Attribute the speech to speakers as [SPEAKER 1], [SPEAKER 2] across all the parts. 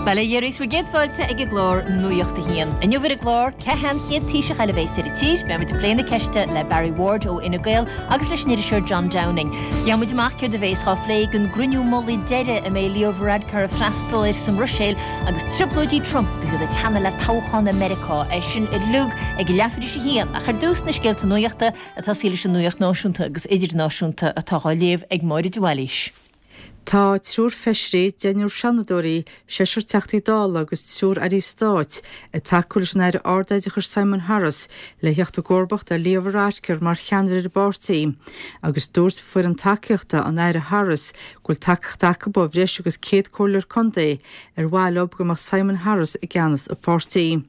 [SPEAKER 1] Bail ó Dhia oraibh is bhur gcéad fáilte ag an gclár Nuacht a hAon. Inniu ar an gclár, cé hé an chéad Taoiseach eile a bheas ar an tír? Beidh muid ag plé na ceiste le Barry Ward ó Fhine Gael agus leis an iriseoir John Downing. Gheobhaidh muid amach céard a bheas á phlé ag an gcruinniú mullaigh deiridh a mbeidh Leo Varadkar ag freastal air sa mBruiséil agus trioblóidí Trump agus iad ag teannadh le toghchán i Meiriceá. É sin uilig ag leathuair tar éis a haon. Ach ar dtús na scéalta nuachta ag tosaí leis an nuacht náisiúnta agus idirnáisiúnta atá á léamh ag Máire de Bhailís.
[SPEAKER 2] Tá triúr feisirí, deichniúr seanadóirí, seisear Teachtaí Dála agus triúr airí stáit ag tacú leis an Aire Ardoideachais Simon Harris le theacht i gcomharbacht ar Leo Varadkar mar cheannaire ar an bpáirtí agus dúirt foireann tacaíochta an Aire Harris go bhfuil tacaíocht acu ó bhreis agus 100 comhairleoir contae ar mhaith leo go mbeadh Simon Harris i gceannas an pháirtí.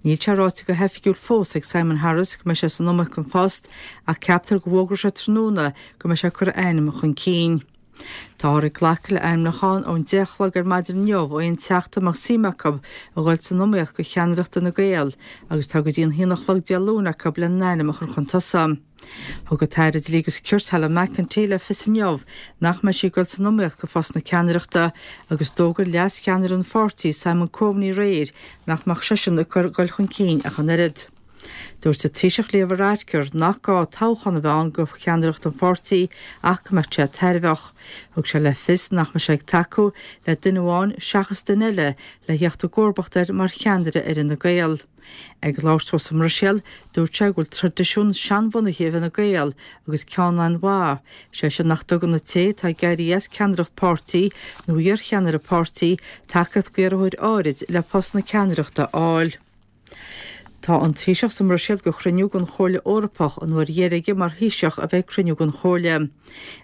[SPEAKER 2] Níl sé ráite go hoifigiúil fós ag Simon Harris go mbeidh sé san iomaíocht don phost ach ceaptar go bhfógróidh sé tráthnóna go mbeidh sé ag cur a ainm chun cinn. Táthar ag glacadh le ainmniúcháin ón 10 a chlog ar maidin inniu ó aon teachta a mbeadh suim acu a dhul san iomaíocht do cheannaireacht Fhine Gael agus tá go dtí an haon a chlog Dé Luain acu lena n-ainm a chur chun tosaigh. Thug an tAire Dlí agus Cirt Helen McEntee le fios inniu nach mbeidh sí ag dul san iomaíocht do phost na ceannaireachta agus d'fhógair leas-cheannaire an pháirtí Simon Coveney aréir nach mbeadh seisean ag dul chun cinn ach an oiread. Dúirt an Taoiseach Leo Varadkar nach gá toghchán a bheith ann do cheannaireacht an pháirtí ach go mbeadh sé tairbheach. Thug sé le fios nach mbeadh sé ag tacú le duine amháin seachas duine eile le theacht i gcomharbacht air mar cheannaire ar Fhine Gael. Ag labhairt dó sa mBruiséil, dúirt sé go bhfuil traidisiún seanbhunaithe i bhFine Gael agus ceann an-mhaith, sé sin nach dtugann an té atá ag éirí as ceannaireacht páirtí nó iarcheannaire páirtí tacaíocht d'iarrthóir áirid le post na ceannaireachta a fháil. Tá an Taoiseach sa mBruiséil do chruinniú den Chomhairle Eorpach, an uair dheiridh aige mar Thaoiseach a bheith ag cruinniú den Chomhairle.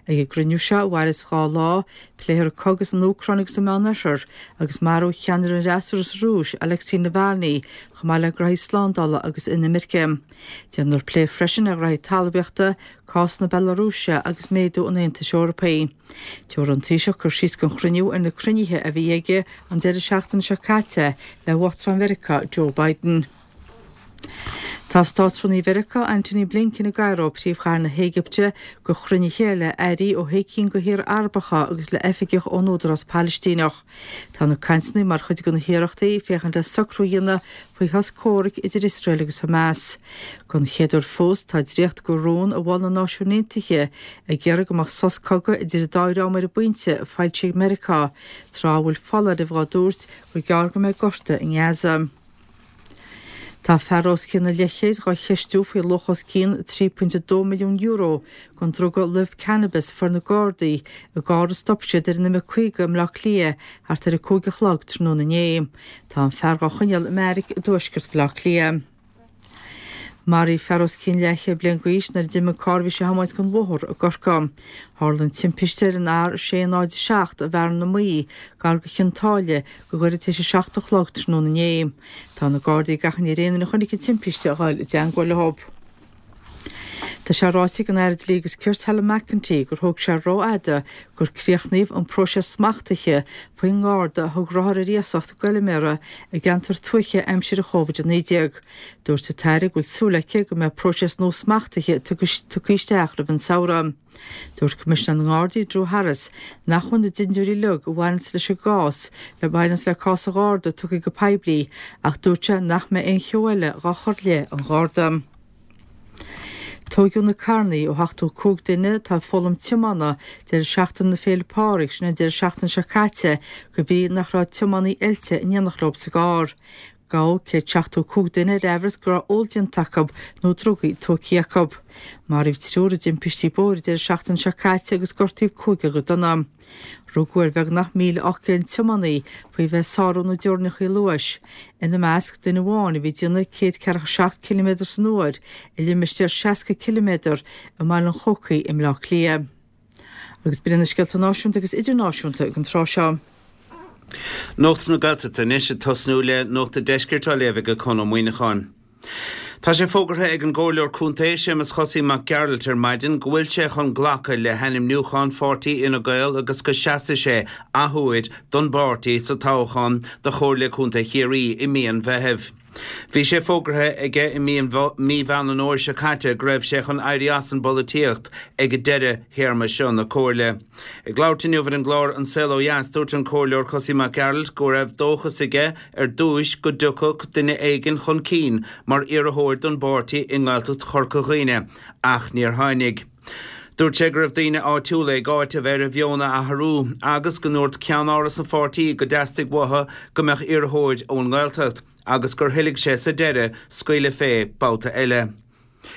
[SPEAKER 2] Ag an gcruinniú seo, a mhairfeas 2 lá, Pléifear an cogadh san Úcráin agus sa Meánoirthear, agus marú cheannaire an fhreasúra sa Rúis, Alexei Navalny, chomh maith le graithí slándála agus inimirce. Déanfar plé freisin ar ghraithí talmhaíochta, cás na Bealarúise agus méadú an Aontais Eorpaigh. Tabharfaidh an Taoiseach cur síos don chruinniú ar na cruinnithe a bhí aige an deireadh seachtaine seo caite le Uachtarán Mheiriceá Joe Biden. Tá Státrúnaí Mheiriceá, Antony Blinken i gCairo, príomhchathair na hÉigipte, do chruinnithe le airí ó shé cinn de thíortha Arabacha agus le oifigeach ón Údarás Palaistíneach. Tá na cainteanna mar chuid de na hiarrachtaí féachaint le socrú a dhéanamh faoi shos comhraic idir Iosrael agus Hamas. Don chéad uair fós, tá dréacht de rún a mhol na Náisiúin Aontaithe ag iarraidh go mbeadh sos cogaidh idir an dá dhream ar an bpointe, foilsithe ag Meiriceá, tráth a bhfuil foláirimh á dtabhairt gur gearr go mbeidh gorta i nGaza. Tá fear os cionn an leathchéid dhá cheistiú faoi luach os cionn €3.2 milliún den druga luibh cannabis a fuair na Gardaí i gcarr a stop siad ar an M50 i mBleá Cliath thart ar a 5 a chlog tráthnóna inné. Tá an fear dhá choinneáil i mbeairic i dtuaisceart Bhaile Átha Cliath. Maraíodh fear os cionn leathchéad bliain d'aois nuair a d'imigh an carr a bhí sé a thiomáint den bhóthar i gCorcaigh. Tharla an timpiste ar an R607 i bhFearann na Maí, gar do Chionn tSáile, go gairid tar éis a 7 a chlog tráthnóna inné. Tá na Gardaí ag achainí ar aon duine a chonaic an timpiste a ghoil i dteangmháil leo. Tá sé ráite ag an Aire Dlí agus Cirt Helen McEntee gur thóg sé rófhada gur críochnaíodh an próiseas smachtaithe faoin nGarda a thug rothar ar iasacht do fheilméara i gceantar tuaithe aimsir an Chóvid-19. Dúirt an tAire go bhfuil súil aici go mbeidh próiseas nua smachtaithe tugtha isteach roimh an samhradh. Dúirt Coimisinéir na nGardaí Drew Harris nach bhfuil na dintiúirí uilig a bhaineanns leis an gcás le bhaineanns le cás an Gharda tugtha go poiblí ach dúirt sé nach mbeidh aon cheo eile dhá chur i leith an Gharda. Tóigeadh na carrannaí ó 75 duine atá ag foghlaim tiomána deireadh seachtaine na Féile Pádraig, sin an deireadh seachtaine seo caite, de bhrí nach raibh tiománaí oilte in éineacht leo sa gcarr. Gabhadh 175 duine ar aimhreas go raibh ól déanta acu nó drugaí tógtha acu. Maraíodh triúr i dtimpistí bóthair an deireadh seachtaine seo caite agus gortaíodh cúigear go dona. Rugadh ar bheagnach 1,800 tiománaí faoi bheith ag sárú na dteorainneacha luais, ina measc duine amháin a bhí ag déanamh 147 ciliméadar san uair i limistéar 60 ciliméadar i mBaile an Chócaigh i mBleá Cliath. Agus b'in iad na scéalta náisiúnta agus idirnáisiúnta ag an tráth seo.
[SPEAKER 3] Nuacht na Gaeltachta anois, ag tosnú le Nuacht an Deiscirt á léamh ag Conn Ó Muíneacháin. Tá sé fógartha ag an gComhairleoir Contae Séamus Chosaí Mac Gearailt ar maidin go bhfuil sé chun glacadh le hainmniúchán pháirtí Fhine Gael agus go seasfaidh sé athuair don bpáirtí sa toghchán do Chomhairle Contae Chiarraí i mí an Mheithimh. Bhí sé fógartha aige i mí Mheán an Fhómhair seo caite go raibh sé chun éirí as an bpolaitíocht ag deireadh théarma seo na Comhairle. Ag labhairt inniu ar an gclár An Saol Ó Dheas, dúirt an Comhairleoir Cosaí Mac Gearailt go raibh dóchas aige ar dtúis go dtiocfadh duine éigin chun cinn mar iarrthóir don bpáirtí i nGaeltacht Chorca Dhuibhne ach níor tháinig. Dúirt sé go raibh daoine áitiúla ag áiteamh air a mheon a athrú agus go ndúirt ceannáras an pháirtí go dteastaigh uathu go mbeadh iarrthóir ón nGaeltacht agus gur thoiligh sé sa deireadh scaoileadh fé babhta eile.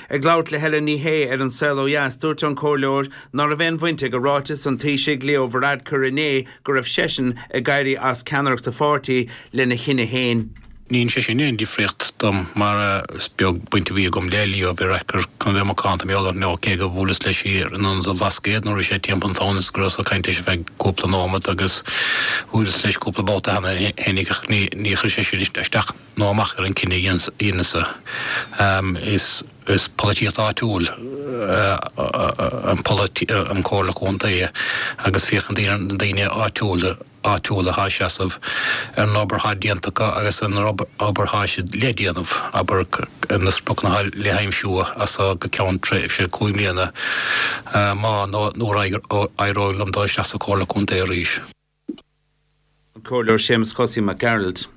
[SPEAKER 3] Ag labhairt le Helen Ní Shé ar An Saol Ó Dheas, dúirt an Comhairleoir ná raibh aon bhaint ag ráiteas an Taoisigh Leo Varadkar inné go raibh seisean ag éirí as ceannaireacht a pháirtí lena chinneadh féin.
[SPEAKER 4] Ní dhein sé sin aon difríocht dom mar is beag baint a bhí agam le Leo Varadkar chun a bheith macánta mar gheall air nó cé gur bhuaileas leis thiar in Ionad an Bhlascaoid nuair a bhí sé timpeall an town is go rabhas ag caint leis ar feadh cúpla nóimeat agus bhuaileas leis cúpla babhta cheana féinig ach ní chuir sé sin isteach nó amach ar an cinneadh a dheineas-sa. Is polaitíocht áitiúil an Comhairle Contae agus féachann na daoine áitiúla áitiúla atá ag seasamh ar an obair atá déanta acu agus ar an obair atá siad le déanamh, abair, ar na spriocanna atá le haimsiú as seo go ceann tréimhse 5 mbliana, má nó nuair a éireoidh liom dul isteach sa Chomhairle Contae arís.
[SPEAKER 3] An Comhairleoir Séamus Chosaí Mac Gearailt.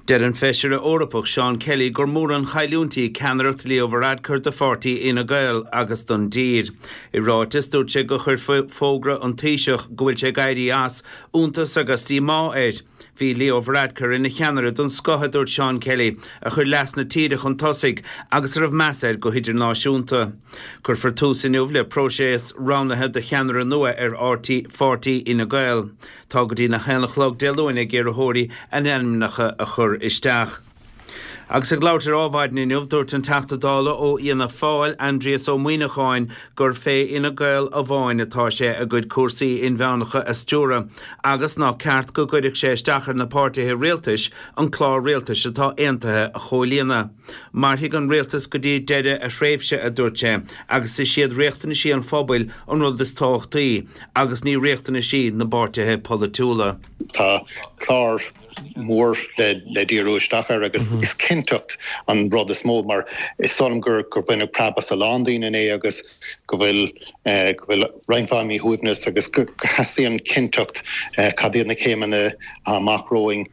[SPEAKER 3] Deir an Feisire Eorpach Seán Kelly gur mór an chailliúint í ceannaireacht Leo Varadkar do pháirtí Fhine Gael agus don dtír. I ráiteas, dúirt sé gur chuir fógra an Taoiseach go bhfuil sé ag éirí as, iontas agus díomá air. Bhí Leo Varadkar ina cheannaire den scoth, a dúirt Seán Kelly, a chuir leas na tíre chun tosaigh agus a raibh meas air go hidirnáisiúnta. Cuirfear tús inniu le próiseas roghnaithe do cheannaire nua ar pháirtí Fhine Gael. Tá go dtí na haon a chlog Dé Luain ag iarrthóirí a n-ainmneacha a chur isteach. Agus ag labhairt ar Adhmhaidin inniu, dúirt an Teachta Dála ó Fhianna Fáil, Aindrias Ó Muimhneacháin, gur fé Fhine Gael amháin atá sé a gcuid cúrsaí inmheánacha a stiúradh agus nach ceart go gcuirfeadh sé isteach ar na páirtithe rialtais an clár rialtais atá aontaithe a chomhlíonadh. Mairfidh an rialtas go dtí deireadh a thréimhse, a dúirt sé, agus is iad riachtanaisí an phobail an rud is tábhachtaí. agus ní riachtanaisí na bpáirtithe polaitiúla.
[SPEAKER 5] Tá clár mór le díriú isteach air agus is cinnteacht an rud is mó mar is dóigh liom gur baineadh preab as a lán daoine inné agus go bhfuil go bhfuil roinnt mhaith míshuaimhneas agus go theastaíonn cinnteacht cad iad na céimeanna amach romhainn,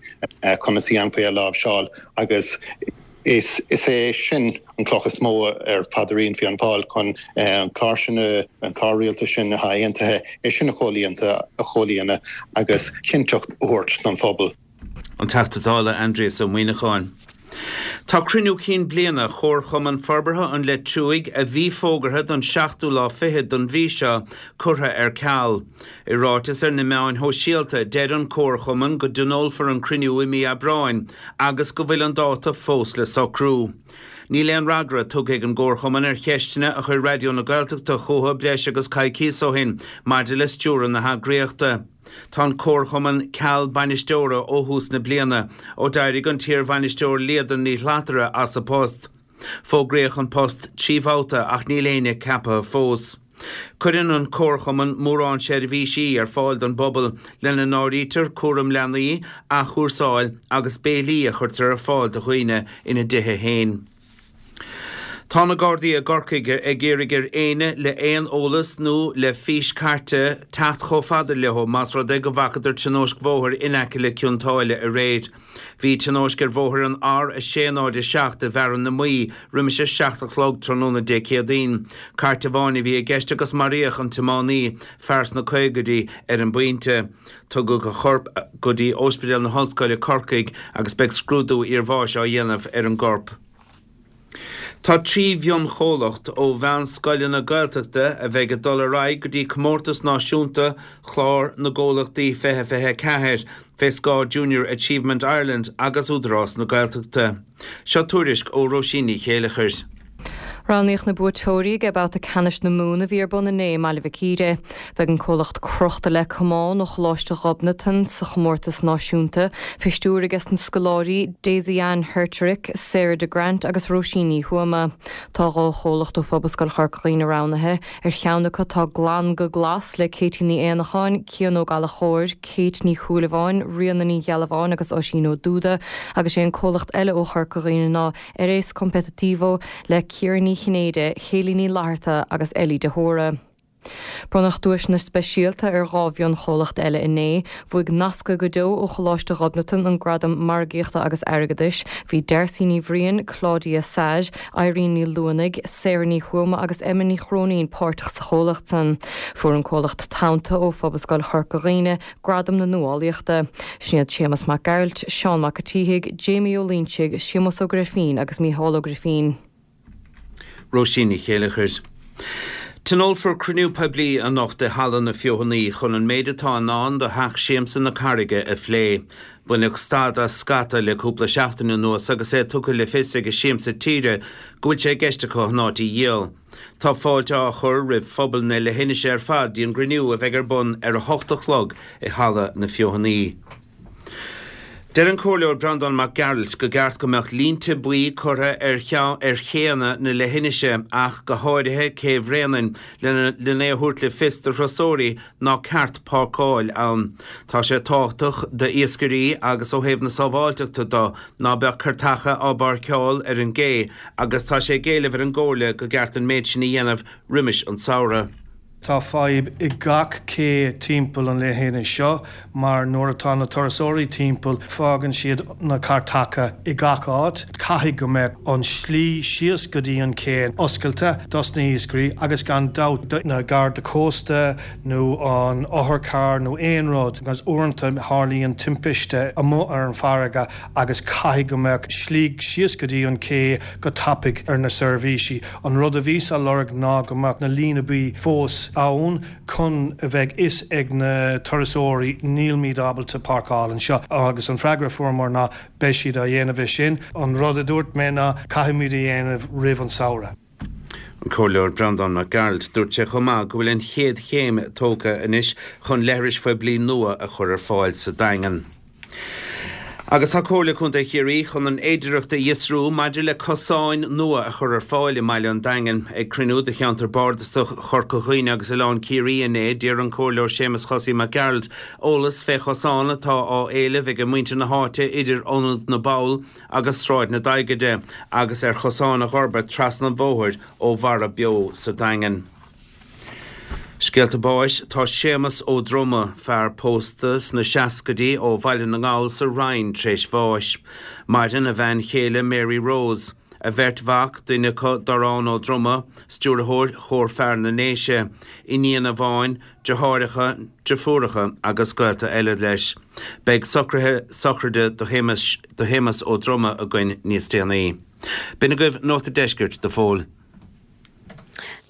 [SPEAKER 5] conas a dhéanfaí é a láimhseáil agus Is é sin an cloch is mó ar phaidrín Fianna Fáil chun an clár sin, an clár rialtais sin atá aontaithe, é sin a chomhlíonadh agus cinnteacht a thabhairt don phobal.
[SPEAKER 3] An Teachta Dála Aindrias Ó Muimhneacháin. Tá cruinniú cinn bliana Chomharchumann Forbartha an Leitriúigh, a bhí fógartha don seachtú lá fichead don mhí seo, curtha ar ceal. I ráiteas ar na meáin shóisialta, deir an Comharchumann go dtionólfar an cruinniú i mí Aibreáin agus go bhfuil an dáta fós le socrú. Níl aon fhreagra tugtha ag an gComharchumann ar cheisteanna a chuir Raidió na Gaeltachta chucu breis agus coicíos ó shin maidir le stiúradh na heagraíochta. Tá an Comharchumann ceal bainisteora ó thús na bliana, ó d'éirigh an t-iarbhainisteoir Líadan Ní Shlatara as a post. Fógraíodh an post 3 bhabhta ach níl éinne ceaptha fós. Cuireann an Comharchumann mórán seirbhísí ar fáil don bpobal, lena n-áirítear cúram leanaí, athchúrsáil agus béilí a chuirtear ar fáil do dhaoine ina dtithe féin. Tá na Gardaí i gCorcaigh ag iarraidh ar éinne le aon eolas nó le fís cairte teacht chomh fada leo más rud é go bhfacadar tionóisc bhóthair in aice le Cionn tSáile aréir. Bhí tionóisc ar bhóthar an R607 i bhFearann na Muí roimis a 7 a chlog tráthnóna Dé Céadaoin. Cairt amháin a bhí i gceist agus maraíodh an tiománaí, fear sna caogaidí, ar an bpointe. Tugadh a chorp go dtí Ospidéal na hOllscoile, Corcaigh agus beidh scrúdú iarbháis á dhéanamh ar an gcorp. Tá 3 mhionchomhlacht ó mheánscoileanna Gaeltachta a bheidh ag dul ar aghaidh go dtí Comórtas Náisiúnta Chlár na gComhlachtaí 2024 fé scáth Junior Achievement Ireland agus Údarás na Gaeltachta. Seo tuairisc ó Róisín Ní Chéileachair.
[SPEAKER 6] Roghnaíodh na buaiteoirí ag babhta ceannais na Mumhan a bhí ar bun inné i mBaile Mhic Íre. Beidh an comhlacht Crochta le Camán ó Choláiste Ghobnatan sa chomórtas náisiúnta, fé stiúir aige na scoláirí Daisy Ann Herterich, Sarah de Grant agus Róisín Ní Thuama. Tá 2 chomhlacht ó Phobalscoil Chorca Dhuibhne roghnaithe. Ar cheann acu tá Glan go Glas le Katie Ní Éanacháin, Cian Ó Gallchóir, Kate Ní Shúilleabháin, Ríona Ní Ghealbháin agus Oisín Ó Dúda agus sé an comhlacht eile ó Chorca Dhuibhne ná Eres Competitivo le Ciara Ní Chinnéide, Hayley Ní Fhlatharta agus Ellie de hÓra. Bronnadh duaiseanna speisialta ar 2 mhionchomhlacht eile inné. Bhuaigh Nasctha go Deo ó Choláiste Ghobnatan an gradam Margaíochta agus Airgeadais. Bhí Darcy Ní Bhriain, Claudia Sage, Irene Ní Luanaigh, Sarah Ní Thuama agus Emma Ní Chróinín páirteach sa chomhlacht san. Fuair an comhlacht Tonnta ó Phobalscoil Chorca Dhuibhne Gradam na Nuálaíochta. Sin iad Séamas Mac Gearailt, Seán Mac a' tSíthigh, Jamie Ó Loinsigh, Séamus Ó Grifín agus Mícheál Ó Grifín.
[SPEAKER 3] Róisín Ní Chéileachair. Tionólfar cruinniú poiblí anocht i Halla na Feothanaí chun an méid atá i ndán do Theach Siamsa na Carraige a phlé. Baineadh stad as scata le cúpla seachtain anuas agus é tugtha le fios ag Siamsa Tíre go bhfuil sé i gceist acu an áit a dhíol. Tá fáilte á chur roimh phobal na leithinise ar fad dtí an gcruinniú a bheidh ar bun ar a hocht a chlog i Halla na Feothanaí. Deir an Comhairleoir Breandán Mac Gearailt go gceart go mbeadh línte buí curtha ar ar chéanna na leithinise ach go háirithe Cé Bhréanainn lena é a thabhairt le fios do thurasóirí ná ceart páirceáil ann. Tá sé tábhachtach d'iascairí agus ó thaobh na sábháilteachta do ná beadh cairteacha á bpáirceáil ar an gcé agus tá sé ag éileamh ar an gComhairle go gceart an méid sin a dhéanamh roimis an samhradh.
[SPEAKER 7] Tá fadhb i gach cé timpeall an leithinis seo mar nuair atá na turasóirí timpeall fágann siad na cairteacha i gach áit. Caithfidh go mbeadh an slí síos go dtí an cé oscailte dos na hiascairí agus gan dabht do na Garda Cósta nó an otharcharr nó aon rud agus uaireanta tharlaíonn timpiste amuigh ar an farraige agus caithfidh go mbeadh slí síos go dtí an cé go tapaidh ar na seirbhísí. An rud a bhíos á lorg ná go mbeadh na líne buí fós ann chun a bheidh fhios ag na turasóirí nílmid ábalta páirceáil anseo agus an freagra a fuaireamar ná beidh siad á dhéanamh é sin. An rud a dúirt mé ná caithfimid a dhéanamh roimh an samhradh.
[SPEAKER 3] An Comhairleoir Breandán Mac Gearailt. Dúirt sé chomh maith go bhfuil an chéad chéim tógtha anois chun leithris phoiblí nua a chur ar fáil sa Daingean. Agus tá Comhairle Contae Chiarraí chun an fhéidireacht a fhiosrú maidir le cosáin nua a chur ar fáil i mbaile an Daingin. Ag cruinniú de cheantar bardasach Chorca Dhuibhne agus Oileán Ciarraí inné, d'iarr an Comhairleoir Séamus Chosaí Mac Gearailt eolas fé chosán atá á éileamh ag muintir na háite idir Ionad na bPoll agus Sráid na Daighide agus ar chosáin a dh'fhorbairt trasna an bhóthair ó Bharra Beo sa Daingean. Scéalta báis Tá Séamus Ó Droma, fear pósta sna seascaidí ó Bhaile na nGall sa Rinn tréis bháis. Maireann a bhean chéile Mary Rose, a bheirt mhac, duine acu Dorán Ó Droma, stiúrthóir Chór Fear na nDéise, iníon amháin, deartháireacha, deirfiúracha agus gaolta eile leis. Beidh socruithe sochraide do Shéamus Ó Droma againn níos déanaí. B'in agaibh Nuacht a' Deiscirt do Phól.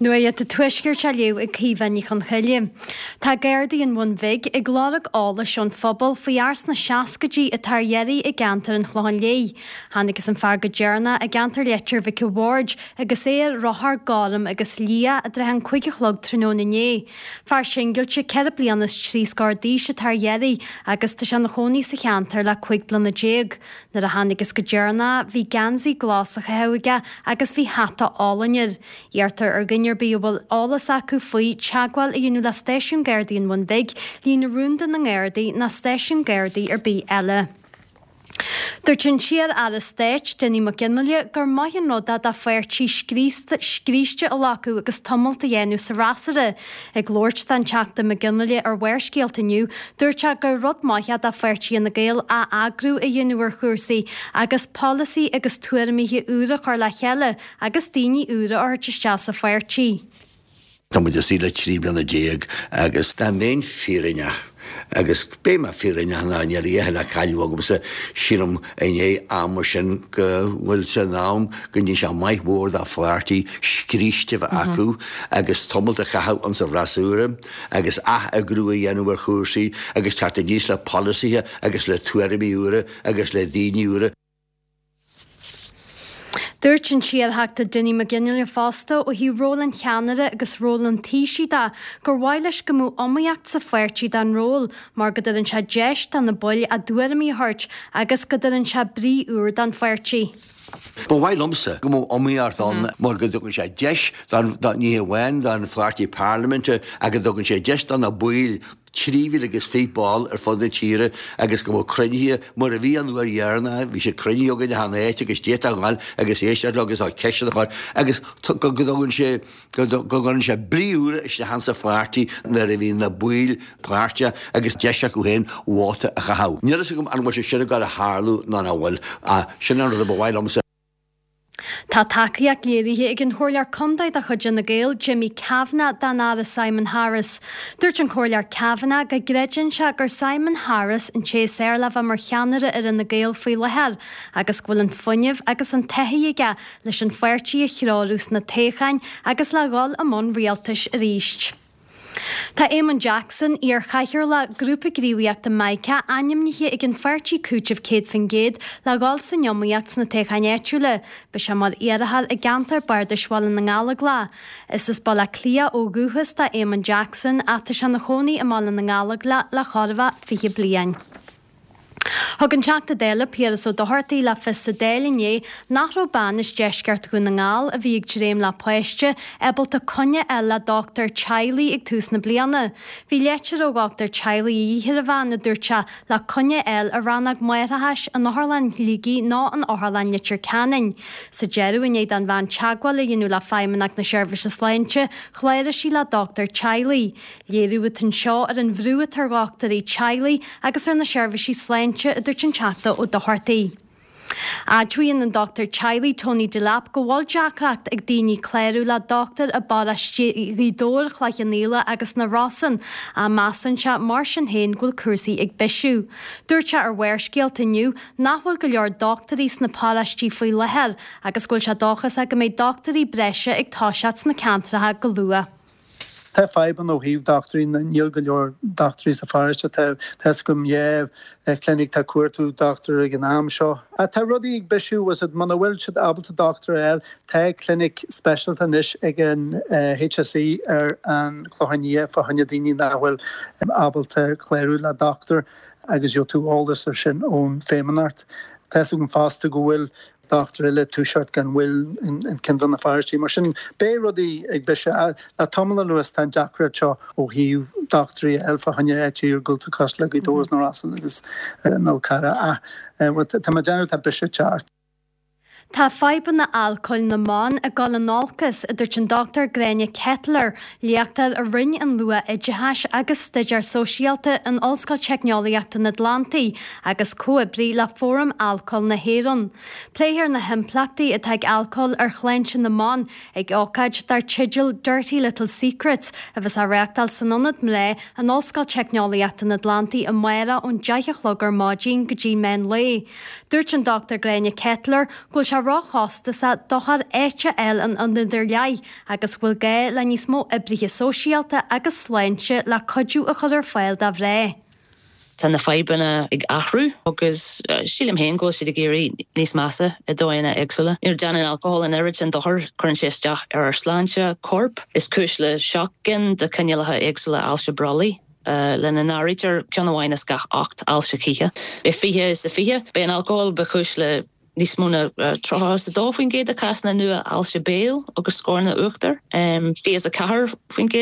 [SPEAKER 8] Nuacht an Tuaiscirt á léamh ag Caoimhe Ní Chonchoille. Tá Gardaí an Bhun Bhig ag lorg eolais ón phobal faoi fhear sna seascaidí atá ar iarraidh i gceantar an Chlocháin Léith. Thángthas an fear go deireanach i gceantar Leitir Mhic a' Bhaird agus é ar rothar gorm agus liath i dtrátha an 5 a chlog tráthnóna inné. Fear singilte 4 bliana is 3 scór d'aois atá ar iarraidh agus tá sé ina chónaí sa cheantar le 15 bliana. Nuair a thángthas go deireanach bhí geansaí glas á chaitheamh aige agus bhí hata álainn air. Iarrtar ar dhuine ar bith a bhfuil eolas acu faoi, teagmháil a dhéanamh le Stáisiún Gardaí an Bhun Bhig, líne rúnda na nGardaí ná stáisiún Gardaí ar bith eile. Dúirt an t-iar-aire stáit, Dinny McGinley, gur maith an rud é do pháirtí scríste a ghlacadh agus tumalt a dhéanamh sa fhreasúra. Ag labhairt don Teachta McGinley ar Bharrscéalta inniu, dúirt sé gur rud maith é do pháirtí Fhine Gael ath-eagrú a dhéanamh ar chúrsaí agus polasaí agus tuairimithe úra a chur le chéile agus daoine úra a thabhairt isteach sa pháirtí.
[SPEAKER 9] Tá muid istigh le 13 bliana agus dá mbeinn fírinneach, agus beidh mé fírinneach ná níl a dhath le cailleadh agamsa, sílim i ndiaidh ama sin go bhfuil sé in am go ndéanfaidh sé maith mhór do pháirtí scríste a bheith acu agus tamalt a chaitheamh insa bhfreasúra agus ath-eagrú a dhéanamh ar chúrsaí agus teacht aníos le polasaithe agus le tuairimí úra agus le daoine úra.
[SPEAKER 8] Dúirt an t-iarTheachta Dinny McGinley fosta ó thaobh ról an cheannaire agus ról an Taoisigh de gur mhaith leis go mbeadh iomaíocht sa pháirtí don ról mar go dtugann sé deis do na baill a dtuairimí a thabhairt agus go dtugann sé brí úr don pháirtí.
[SPEAKER 9] Ba mhaith liomsa go mbeadh iomaíocht ann mar go dtugann sé deis don, ní hamháin don pháirtí parlaiminte ach go dtugann sé deis do na baill 3,000 agus 20 ball ar fud na tíre agus go mbeadh cruinnithe mar a bhí an uair dheireanach, bhí siad cruinnithe againn achan áit agus d'fhéadfá a ghabháil agus éisteacht leo agus ceisteanna a chur agus go dtugann sé, go gcuireann sé brí úr isteach insa pháirtí nuair a bhíonn na baill páirteach agus deis acu féin vóta a chaitheamh. Níl fhios agam an bhfuil sé sin ag gabháil a tharlú nó nach bhfuil ach sin an rud a ba mhaith liomsa.
[SPEAKER 8] Tá tacaíocht léirithe ag an Chomhairleoir Contae de chuid Fhine Gael, Jimmy Kavanagh, don Aire Simon Harris. Dúirt an Comhairleoir Kavanagh go gcreideann sé gur Simon Harris an té is fearr le bheith mar cheannaire ar Fhine Gael faoi láthair agus go bhfuil an fuinneamh agus an taithí aige leis an pháirtí a threorú sna toghcháin agus le dhul i mbun rialtais arís. Tá Éamonn Jackson, iar-chathaoirleach Grúpa Gníomhaíochta Mica, ainmnithe ag an pháirtí Cúiteamh 100% le dhul san iomaíocht sna toghcháin áitiúla. Beidh sé mar iarrthóir i gceantar Bardais Bhaile na nGallóglach. Is as Baile Átha Cliath ó dhúchas do Éamonn Jackson ach tá sé ina chónaí i mBaile na nGallóglach le chóir a bheith 20 bliain. Thug an Teachta Dála Piaras Ó Dochartaigh le fios sa Dáil inné nach raibh bean as deisceart Dhún na nGall a bhí ag dréim le páiste ábalta coinne a fháil le dochtúir teaghlaigh ag tús na bliana. Bhí leitir ó dhochtúir teaghlaigh a dhíth ar an bhean, a dúirt sé, le coinne a fháil i rannóg máithreachais in Otharlann Shligigh nó in Otharlann Leitir Ceanainn. Sa deireadh, i ndiaidh don bhean teagmháil a dhéanamh le Feidhmeannacht na Seirbhíse Sláinte, chláraigh sí le dochtúir teaghlaigh. Léiriú atá anseo ar an bhrú atá ar dhochtúirí teaghlaigh agus ar na seirbhísí sláinte, a dúirt an Teachta Ó Dochartaigh. Admhaíonn an dochtúir teaghlaigh Tony Delap go bhfuil deacracht ag daoine clárú le dochtúir i bparóistí Ghaoth Dobhair, Chloich Cheann Fhaola agus na Rosann, ach measann sé mar sin féin go bhfuil cúrsaí ag bisiú. Dúirt sé ar Bharrscéalta inniu nach bhfuil go leor dochtúirí sna paróistí faoi láthair agus go bhfuil sé dóchasach go mbeidh dochtúirí breise ag toiseacht sna ceantracha go luath.
[SPEAKER 10] Tá fadhbanna ó thaobh dochtúirí, níl go leor dochtúirí sa pharóiste. Tá fhios agam dhá chlinic atá ag cuartú dochtúir ag an am seo. Ach tá rudaí ag bisiú, bhfuil fhios a'd, muna bhfuil siad ábalta dochtúir a fháil, tá clinic speisialta anois ag an HSE ar an Chlochán Liath fá choinne daoine nach bhfuil ábalta clárú le dochtúir agus gheobhaidh tú eolas ar sin ón Feidhmeannacht. Tá fhios agam fosta go bhfuil dochtúir eile ag toiseacht gan mhoill in ceann de na pharóistí. Mar sin, beidh rudaí ag bisiú. Le tamall anuas tá an deacracht seo ó thaobh dochtúirí a fháil fá choinne áit iargúlta cosúil le Gaoth Dobhair is na Rosann agus an Fhál Carrach. Ach tá mé ag déanamh tá biseach ag teacht.
[SPEAKER 8] Tá fadhbanna alcóil na mban ag dul in olcas, a dúirt an Dr Gráinne Ketteler, léachtóir i Roinn an Luath-Oideachais agus Staidéar Sóisialta in Ollscoil Teicneolaíochta an Atlantaigh agus comhoibrí le Fóram Alcóil na hÉireann. Pléifear na himpleachtaí atá ag alcól ar shláinte na mban ag ócáid dar teideal 'Dirty Little Secrets' a bheas á reáchtáil san Ionad Mná in Ollscoil Teicneolaíochta an Atlantaigh amárach ón 10 a chlog ar maidin go dtí meán lae. Dúirt an Dr Gráinne Ketteler go bhfuil sé róchostasach dochtúir áit a fháil in ionad ar leith agus go bhfuil gá le níos mó oibrithe sóisialta agus sláinte le cuidiú a chur ar fáil do mhná.
[SPEAKER 11] Tá na fadhbanna ag athrú agus sílim féin go bhfuil siad ag éirí níos measa i dóigheanna éagsúla. You know, déanann alcohol an oiread sin dochair, cuireann sé isteach ar ár sláinte coirp, is cúis le 7 gcinn de chineálacha éagsúla ailse brollaigh. lena n-áirítear ceann amháin as gach 8 ailse chíche. I 2020, b'é an alcól ba chúis le níos mó ná 32% de chásanna nua ailse béil agus scorna uachtair, 24%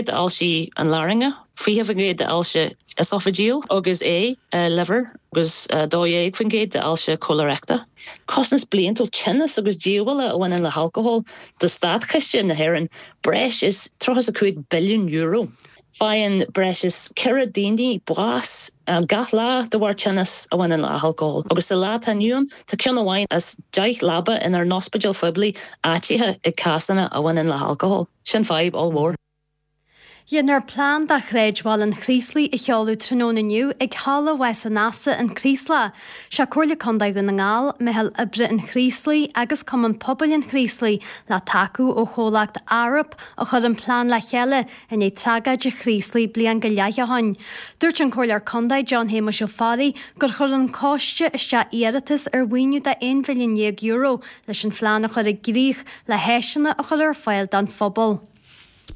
[SPEAKER 11] d'ailsí an larainge, 20% d'ailse esophageal agus ae, liver, agus 12% d'ailse cholaireicte. Costas bliantúil tinneas agus díobhála a bhaineann le halcól do státchiste na hÉireann breis is €35 billiún. Faigheann breis is 4 daoine bás gach lá de bharr tinneas a bhaineann le halcól, agus sa lá atá inniu ann, tá ceann amháin as 10 leaba inár n-ospidéil phoiblí áitithe ag cásanna a bhaineann le halcól. Sin fadhb ollmhór.
[SPEAKER 8] Déanfar plean do Shráidbhaile an Chraoslaigh a sheoladh tráthnóna inniu ag Halla Mhás an Easa, An Craoslach. Sé Comhairle Contae Dhún na nGall, Meitheal Oibre an Chraoslaigh agus Cumann Pobail an Chraoslaigh le tacú ó chomhlacht Arup a chuir an plean le chéile i ndiaidh tragóid an Chraoslaigh bliain go leith ó shoin. Dúirt an Comhairleoir Contae John Shéamuis Ó Fearraigh gur chuir an coiste isteach iarratas ar mhaoiniú de €11 mhilliún leis an phlean a chur i gcrích le háiseanna a chur ar fáil don phobal.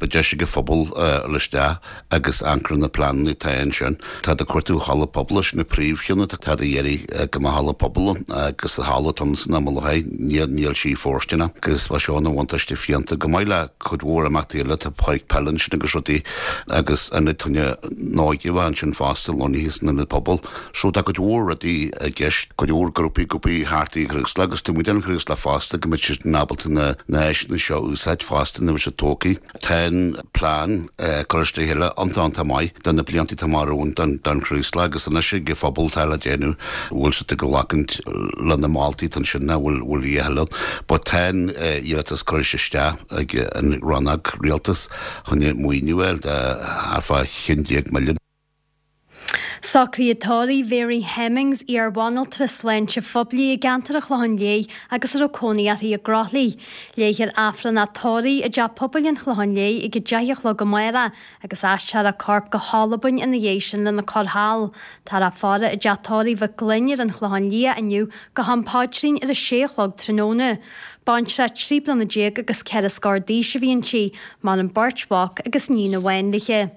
[SPEAKER 12] Beidh deis ag an phobal dul isteach agus amharc ar na pleananna atá ansin. Táid ag cuartú halla pobail, sin an príomhcheann atá táid ag iarraidh go mbeadh halla pobail ann agus an halla atá ann san am i láthair níl sí fóirsteanach agus bheadh seo ina bhuntáiste fiúntach chomh maith le cuid mhór imeachtaí eile, tá páirc peile ansin agus rudaí agus ionad fá choinne na hóige a bheith ansin fosta lonnaithe san ionad pobail. So tá cuid mhór rudaí i gceist, cuid mhór grúpaí ag obair thart ar an Chraoslach agus taobh amuigh den Chraoslach fosta go mbeidh siad ábalta na na háiseanna seo a úsáid fosta nuair a bheidh siad tógtha. Tá an plean curtha le chéile iontach iontach maith do na blianta atá amach romhainn don don Chraoslach agus anois ag an phobal atá le déanamh bhfuil siad ag glacaint le na moltaí atá ansin nó bhfuil bhfuil a thuilleadh but tá an iarratas curtha isteach ag an rannóg rialtais chun maoiniú a fháil de thart fá 11 milliún.
[SPEAKER 8] Socruithe tórraimh Mhary Hemmings, iar-bhanaltra sláinte phoiblí i gceantar an Chlocháin Léith agus a raibh cónaí uirthi i gCroithlí. Léifear Aifreann a tórraimh i dTeach Pobail an Chlocháin Léith ag 10 a chlog amárach agus aistreofar a corp go hAlbain ina dhiaidh sin lena cur thall. Táthar á faire i dTeach Tórraimh Mhic Gloinn ar an Chlochán Liath inniu go ham paidrín ar a sé a chlog tráthnóna. Baintreach 13 bliana agus ceithre scór d'aois a bhí inti, maireann beirt mhac agus níon amháin léi.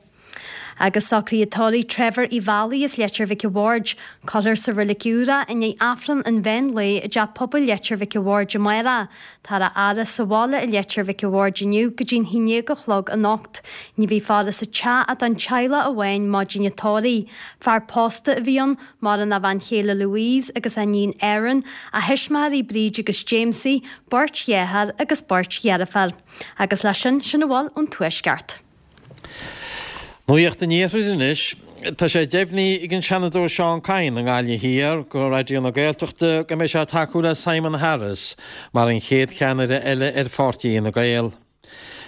[SPEAKER 8] Agus socruithe tórraimh Trevor Uí Mheallaigh as Leitir Mhic a' Bhaird. Cuirfear sa Reilig Úr é i ndiaidh Aifreann an mheán lae i dTeach Pobail Leitir Mhic a' Bhaird amárach. Táthar á fhaire sa bhaile i Leitir Mhic a' Bhaird inniu go dtí'n haon déag a chlog anocht. Ní bheidh faire sa teach ach don teaghlach amháin maidin an tórraimh. Fear pósta a bhí ann, maireann a bhean chéile Louise agus a iníon Erin, a thuismitheoirí Bríd agus Jamesie, beirt dheartháir agus beirt dheirféar. Agus leis sin, sin a bhfuil ón Tuaisceart.
[SPEAKER 13] Nuacht an Iarthair anois. Tá sé deimhnithe ag an Seanadóir Seán Kyne i nGaillimh Thiar go Raidió na Gaeltachta go mbeidh sé ag tacú le Simon Harris mar an chéad cheannaire eile ar pháirtí Fhine Gael.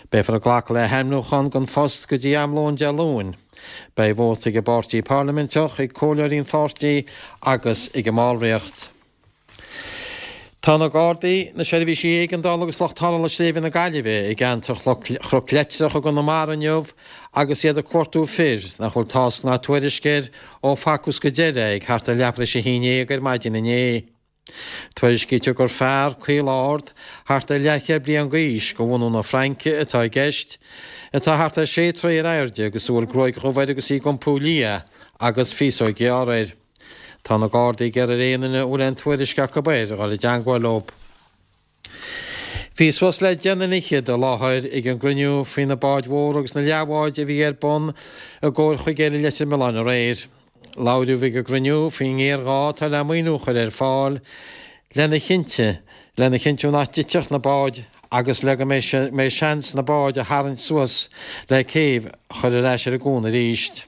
[SPEAKER 13] Beifear ag glacadh le hainmniúchán don phost go dtí am lóin Dé Luain. Beidh vóta ag an bpáirtí parlaiminteach, ag comhairleoirí an pháirtí agus ag an mballraíocht. Tá na Gardaí, na seirbhísí éigeandála agus lucht tarrthála Sléibhe na Gaillimhe i gceantar Chnoc Leitreach i gConamara inniu agus iad ag cuartú fir nach bhfuil tásc ná tuairisc air ó facthas go deireadh é ag thart ar leathuair tar éis a haon déag ar maidin inné. Tuairiscítear gur fear caol ard, thart ar leathchéad bliain d'aois, de bhunadh na Fraince atá i gceist, atá thart ar sé troigh ar airde agus a bhfuil gruaig dhubh air agus í ag iompú liath agus féasóg ghearr air. Tá na Gardaí ag iarraidh ar aon duine a bhfuil aon tuairisc acu air a dhul i dteangmháil leo. Bhí suas le deich nduine fhichead i láthair ag an gcruinniú faoi na báid mhóra agus na leathbháid a bhí ar bun i gComhair Chuigéil i Leitir Mealláin aréir. Labhraíodh ag an gcruinniú faoin ngéarghá atá le maoiniú a chur ar fáil lena chinnte lena chinntiú nach dtitfeadh na báid agus le go mbeidh seans na báid a tharraingt suas le céibh a chur ar ais ar an gcuan arís.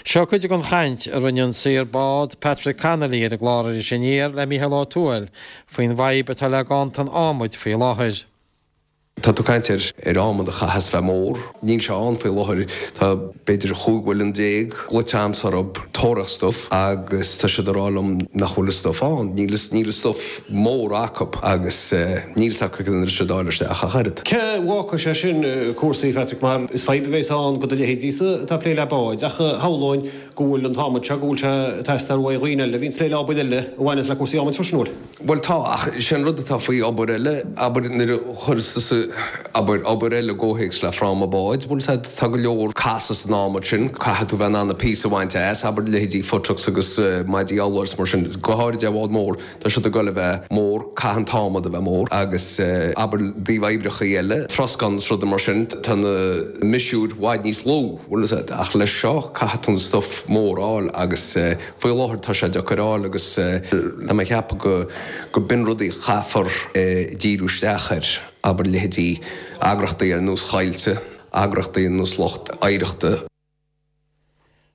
[SPEAKER 13] Seo cuid den chaint a rinne an saor bád Patrick Connolly ar an gclár Iris Aniar le Mícheál Ó Tuathail faoin bhfadhb atá le ganntan adhmaid faoi láthair.
[SPEAKER 14] Tá tú ag caint ar ar adhmad a chaitheas bheith mór. Níl sé ann faoi láthair. Tá b'fhéidir chúig mhuileann glaoite a'msa orthu tóraíocht stuif agus tá siad ag rá liom nach bhfuil an stuif ann. Níl níl an stuif mór acu agus níl 's acu cén uair a d'fháil isteach ach oiread.
[SPEAKER 15] Cé bhfágfaidh sé sin cúrsaí, Phatrick, mar is fadhb a bheas ann do do leithéidísa atá ag plé le báid, ach shamhlóinn go bhfuil an t-adhmad seo, go bhfuil sé ag teastáil uaidh dhaoine eile a bhíonn ag plé le obair eile a bhaineas le cúrsaí adhmaid freisin, an bhfuil?
[SPEAKER 14] Bhuel tá, ach sé an rud atá faoi obair eile, abair nuair a chuireas tusa, abair, obair eile i gcomhthéacs le fráma báid, bhfuil 's a'd, tá go leor casadh san adhmad sin, caithfidh tú bheith in ann na píosa a bhaint as, abair leithéidí futtocks agus maidí urláir is mar sin, go háirid ar bhád mór. Tá siad ag goil a bheith mór, caithfidh an t-adhmad a bheith mór agus abair i dtaobh oibreachaí eile, troscán is rudaí mar sin, tá na miosúir i bhfad níos lú, bhfuil fhios a'd, ach leis seo caithfidh tú an stuif mór a fháil agus faoi láthair tá sé deacair a fháil agus tá mé ag ceapadh go go b'in rudaí a chaithfear díriú isteach air, abair leithéidí eagrachtaí ar nós Choillte, eagrachtaí ar nós lucht oidhreachta.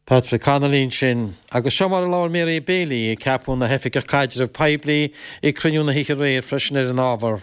[SPEAKER 13] Patrick Connolly ansin. Agus seo mar a labhair Mary Bailey, a ceapadh ina hOifigeach Caidreamh Poiblí ag cruinniú na hoíche aréir freisin ar an ábhar.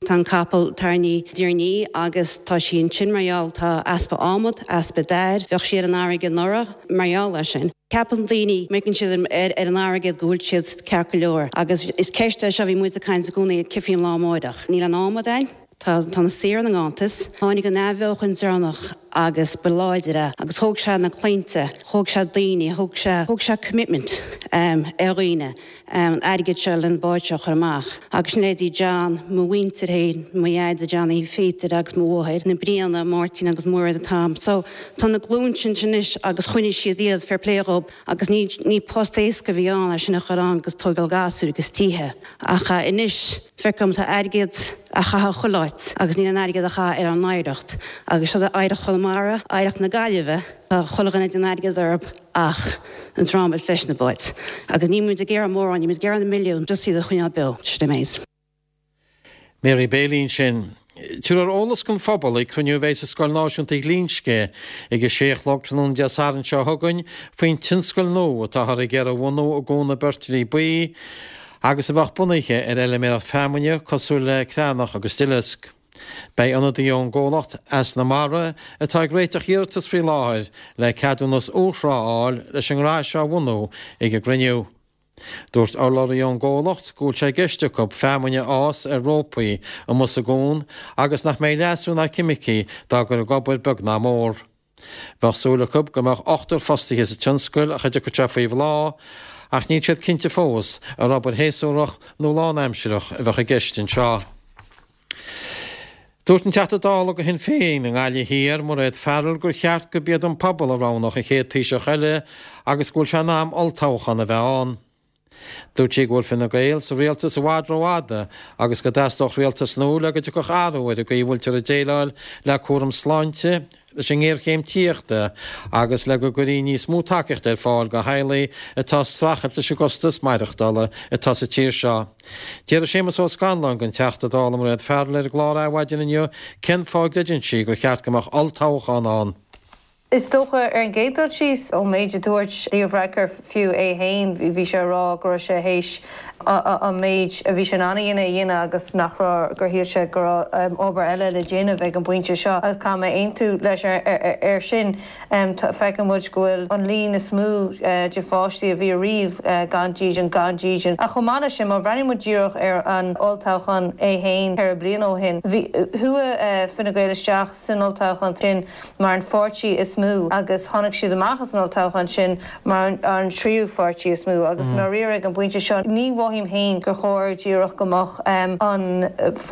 [SPEAKER 16] Tá an capall tarraingthe diaidh ar ndiaidh agus tá sí ansin mar gheall tá easpa adhmad, easpa dair, bheadh sí ar an fharraige anuraidh mar gheall air sin. Ceapann daoine, má amharcann siad ar an airgead go bhfuil siad ceart go leor agus is ceist é seo a bhí muid ag caint i gcónaí cén faoin lá amáireach. Níl aon adhmad ann. Tá tá na saoir ina nganntas. Tháinig an athbheochan deireanach agus ba láidir é agus thóg sé na claimhte, thóg sé daoine, thóg sé thóg sé commitment ar dhaoine an airgead seo le an bád seo a chur amach. Agus sin leithéidí John, mo mhuintir féin, mo dheaide Johnny Pheter agus mo mháthair, na Briana, Máirtín agus Muiread and Tom. So tá na glúin sin anois agus choinnigh siad iad, fair play dhób, agus ní ní post éasca a bhí ann é sin a chur ann agus tógáil gasúir agus tithe. Ach anois. Feicim tá airgead á chaitheamh chuile áit agus níl aon airgead á chaitheamh ar ár n-oidhreacht agus seo oidhreacht Chonamara, oidhreacht na Gaillimhe, tá chuile dhuine ag déanamh airgead orthu ach an dream a leis na báid. Agus níl muid ag iarraidh mórán, níl muid ag iarraidh na milliúin, just iad a choinneáil beo. Sin é méid.
[SPEAKER 13] Mary Bailey ansin. Tabharfar eolas don phobal ag cruinniú a bheidh sa Scoil Náisiúnta Ghlinsce ag a sé a chlog tráthnóna Dé Sathairn seo chugainn faoin tionscal nua atáthar ag iarraidh a bhunú i gCuan na Beirtrí Buí agus a bheadh bunaithe ar fheilméaracht feamainne cosúil le creathnach agus duileasc. Beidh ionadaí ón gcomhlacht Eas na Mara atá ag réiteach iarratas faoi láthair le ceadúnas urthrá a fháil leis an ngnó seo a bhunú ag an gcruinniú. Dúirt urlabhraí ón gcomhlacht go bhfuil sé i gceist acu feamainn a fhás ar rópaí amuigh sa gcuan agus nach mbeidh leasú ná ceimicí dá gcur ag obair beag ná mór. Bheadh súil acu go mbeadh ochtar fostaithe sa tionscal ach a dtiocfadh sé faoi bhláth ach níl siad cinnte fós ar obair shéasúrach nó lánaimsireach a bheadh i gceist anseo. Dúirt an Teachta Dála do Shinn Féin i nGaillimh Thiar, Mairéad Farrell, gur cheart gurb iad an pobal a roghnódh an chéad Taoiseach eile agus go bhfuil sé in am olltoghchán a bheith ann. Dúirt sí go bhfuil Fine Gael sa rialtas i bhfad rófhada agus go dteastódh rialtas nua le go dtiocfadh athrú ar an gcaoi a bhfuiltear ag déileáil le cúram sláinte, leis an ngéarchéim tithíochta agus le go gcuirfí níos mó tacaíochta ar fáil do theaghlaigh atá ag streachailt leis an gcostas maireachtála atá sa tír seo. D'fhiafraigh Séamus Ó Scanláin den Teachta Dála Mairéad Farrell ar an gclár Adhmhaidin inniu cén fáth a gcreideann sí gur cheart go mbeadh olltoghchán ann.
[SPEAKER 17] Is dócha, ar an gcéad dul síos, ón méid a dúirt Leo Varadkar fiú é féin, bhí sé ag rá go raibh sé théis an méid a bhí sé in ann a dhéanamh a dhéanamh agus nach raibh, gur shíl sé go raibh obair eile le déanamh ag an bpointe seo agus caithfidh mé aontú leis ar sin. Feiceann muid go bhfuil an líon is mó de pháistí a bhí ariamh gan dídean, gan dídean. Ach chomh maith leis sin, má bhreathnaíonn muid díreach ar an olltoghchán é féin ceithre bliana ó shin, bhí, chuaigh Fine Gael isteach san olltoghchán sin mar an pháirtí is mó agus tháinig siad amach as an olltoghchán sin mar an tríú pháirtí is mó agus i ndáiríre ag an bpointe seo ní mhothaím féin gur chóir díreach go mbeadh an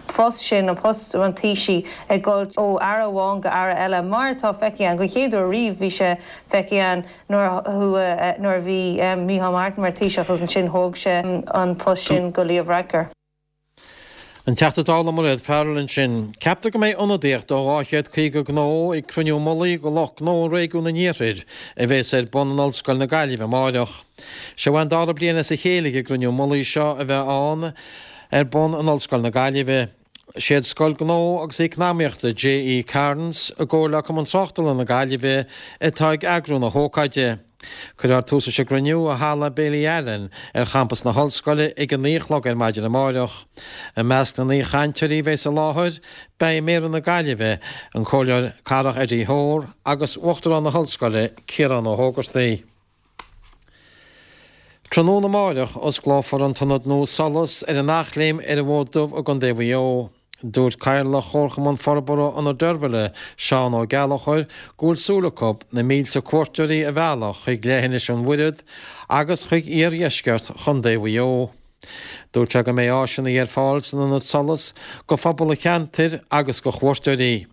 [SPEAKER 17] post sin, an post an Taoisigh ag dul ó aire amháin go aire eile mar atá feicthe againn den chéad uair riamh bhí sé feicthe againn nuair a nuair a bhí Micheál Martin mar Taoiseach agus ansin thóg sé an post sin go Leo Varadkar.
[SPEAKER 13] An Teachta Dála Mairéad Farrell ansin. Ceaptar go mbeidh ionadaíocht ó 250 gnó ag cruinniú mullaigh do lucht gnó i réigiún an Iarthair a bheas ar bun in Ollscoil na Gaillimhe amáireach. Seo an dara bliain as a chéile ag an gcruinniú mullaigh seo a bheith ann ar bun in Ollscoil na Gaillimhe. Siad Scoil Gnó agus Eacnamaíochta J.E. Cairns i gcomhar le Cumann Tráchtála na Gaillimhe atá ag eagrú na hócáide. Cuirfear tús leis an gcruinniú i Halla Bailey Allen ar champas na hOllscoile ag a 9 a chlog ar maidin amáireach. I measc na n-aoichainteoirí a bheas i láthair, beidh Méara na Gaillimhe, an Comhairleoir Cathrach Eddie Hoare agus Uachtarán na hOllscoile, Ciarán Ó hÓgartaigh. Tráthnóna amáireach, osclófar an t-ionad nua Solas ar an Eachléim ar an bhFód Dubh i gContae Mhaigh Eo. Dúirt Cathaoirleach Chomharchumann Forbartha Ionad Deirbhile, Seán Ó Gallchóir, go bhfuil súil acu na mílte cuairteoirí a mhealladh chuig leithinis an Mhuiread agus chuig iardheisceart Chontae Mhaigh Eo. Dúirt sé go mbeidh áiseanna ar fáil san ionad Solas go phobal an cheantair agus go chuairteoirí.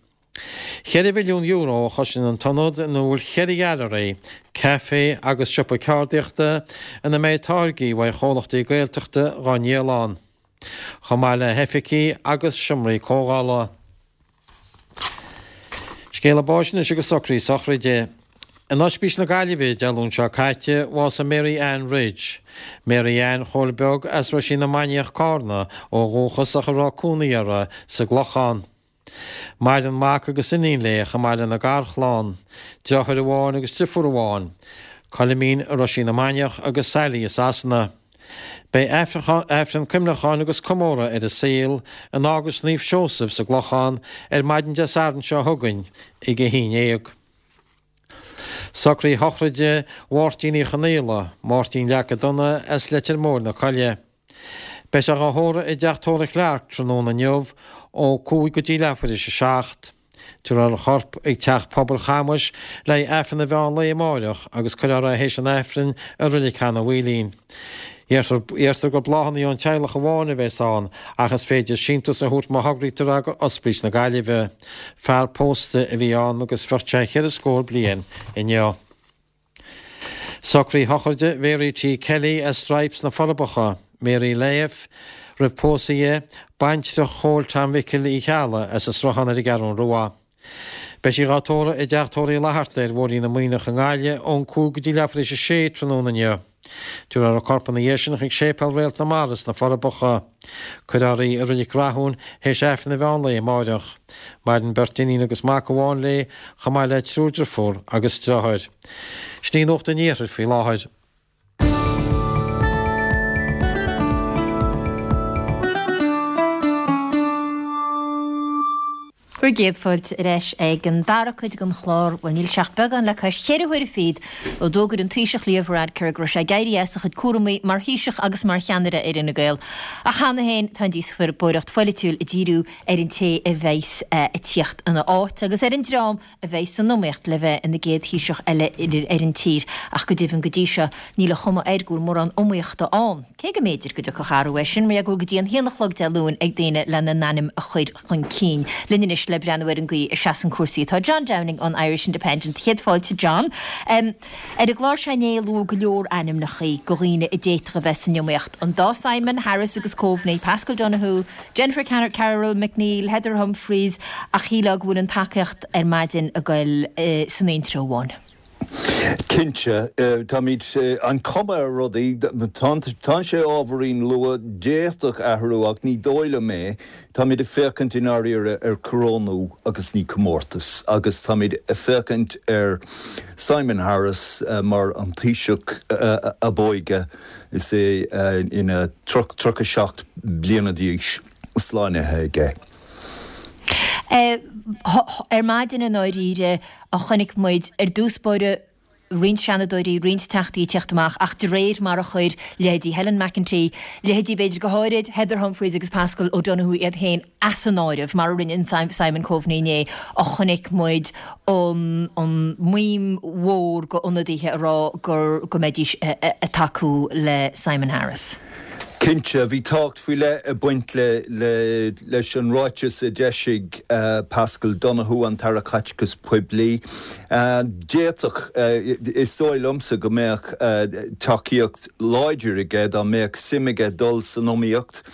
[SPEAKER 13] €4 mhilliún a chosnaíonn an t-ionad ina bhfuil cheithre ghailearaí, caife agus siopa ceardaíochta ina mbeidh táirgí uaidh chomhlachtaí Gaeltachta dhá ndíol ann. Chomh maith le hoifigí agus seomraí comhdhála. Scéala báis anois agus socruithe sochraide. In Oispís na Gaillimhe Dé Luain seo caite, bhásaigh Mary Ann Ridge. Mary Ann Chóil Beag as Roisín na Mainiach, Cárna, ó dhúchas ach a raibh cónaí uirthi sa gClochán. Maireann mac agus iníon léi chomh maith lena garchlann, deartháir amháin agus driofúr amháin, Coilimín i Roisín na Mainiach agus Sally i Sasana. Beidh Aifreann Cuimhneacháin agus Comóradh ar a saol in Eaglais Naomh Seosamh sa gClochán ar maidin Dé Sathairn seo chugainn ag 11. Socruithe sochraide Mháirtín Uí Chonaola, Máirtín Leaca Donna as Leitir Móir na Coille. Beidh sé dhá thórramh i dteach tórraimh Clarke tráthnóna inniu ó 5 go dtí leathuair théis a 7. Tabharfar a chorp ag Teach Pobail Chamuis le haghaidh Aifreann an mheán lae amáireach agus cuirfear é théis an Aifrinn i Reilig Sheanadh Mhaoilín. Deirtear gur bláthanna ón teaghlach amháin a bheas ann ach is féidir síntiús a thabhairt má thograítear é go Ospís na Gaillimhe. Fear pósta a bhí ann agus bheadh sé cheithre scór bliain inniu. Socruithe sochraide Mhary T. Kelly as Stripes na Forbacha, Mary Leigh, roimh pósadh di, baintreach Chóil Tom Mhicil Uí Cheallaigh as an Sruthán ar an gCeathrú Rua. Beidh sí dhá tórramh i dteach tórraimh Uí Fhlatharta ar Bhóithrín na Muimhneach i nGaillimh ón 5 go dtí leathuair théis a sé tráthnóna inniu. Tabharfar a corp ina dhiaidh sin chuig Séipéal Réalt na Mara sna Forbacha. Cuirfear í i Reilig Rathúin théis Aifreann an mheán lae amáireach. Maireann beirt iníon agus mac amháin léi, chomh maith le triúr driofúr agus driotháir. Sin í Nuacht an Iarthair faoi láthair.
[SPEAKER 1] Bhur gcéad fáilte ar ais ag an dara cuid den chlár. Bhuel, níl sé ach beagán le cois cheithre huaire fichead ó d'fhógair an Taoiseach Leo Varadkar go raibh sé ag éirí as a chuid cúramaí mar Thaoiseach agus mar cheannaire ar Fhine Gael. Ach cheana féin tá an díospóireacht pholaitiúil ag díriú ar an té a bheas ag tíocht ina áit agus ar an dream a bheidh san iomaíocht le bheith ina gcéad Thaoiseach eile ar an tír ach go deimhin go dtí seo níl an chuma air go bhfuil mórán iomaíochta ann, cé go mb'fhéidir go dtiocfadh athrú air sin mar go bhfuil go dtí an haon a chlog Dé Luain ag daoine lena n-ainm a chur chun cinn. Linn anois le breathnú ar an gcaoi a seasann cúrsaí atá John Downing ón Irish Independent. Céad fáilte John. Ar an gclár seo inné luadh go leor ainmneacha de dhaoine a d'fhéadfadh a bheith san iomaíocht, an dá Simon, Harris agus Coveney, Paschal Donohoe, Jennifer Carroll MacNeill, Heather Humphreys, ach shílfeá go bhfuil an tacaíocht ar maidin ag goil san aon treo amháin.
[SPEAKER 18] Cinnte, táimid, an cuma ar rudaí, tá sé ábhairín luath, d'fhéadfadh athrú ach ní dóigh liom é, táimid ag féachaint i ndáiríre ar corónú agus ní comórtas agus táimid ag féachaint ar Simon Harris mar an Taoiseach ab óige Is é ina 37 bliana d'aois slánaithe aige.
[SPEAKER 1] Ar maidin i ndáiríre a chonaic muid ar dtús báire roinnt seanadóirí, roinnt teachtaí ag tíocht amach ach de réir mar a chuir leithéidí Helen McEntee, leithéidí b'fhéidir go háirid Heather Humphreys agus Paschal O'Donohoe iad féin as an áireamh, mar a rinne Simon Coveney inné, a chonaic muid an maoin mhór d'ionadaithe a rá gur go mbeidís ag tacú le Simon Harris.
[SPEAKER 18] Cinnte, bhí tábhacht faoi leith ag baint leis an ráiteas a d'eisigh Paschal Donohoe, an tAire Caiteachais Poiblí. D'fhéadfadh, is dóigh liomsa go mbeadh tacaíocht láidir aige dá mbeadh suim aige dul san iomaíocht.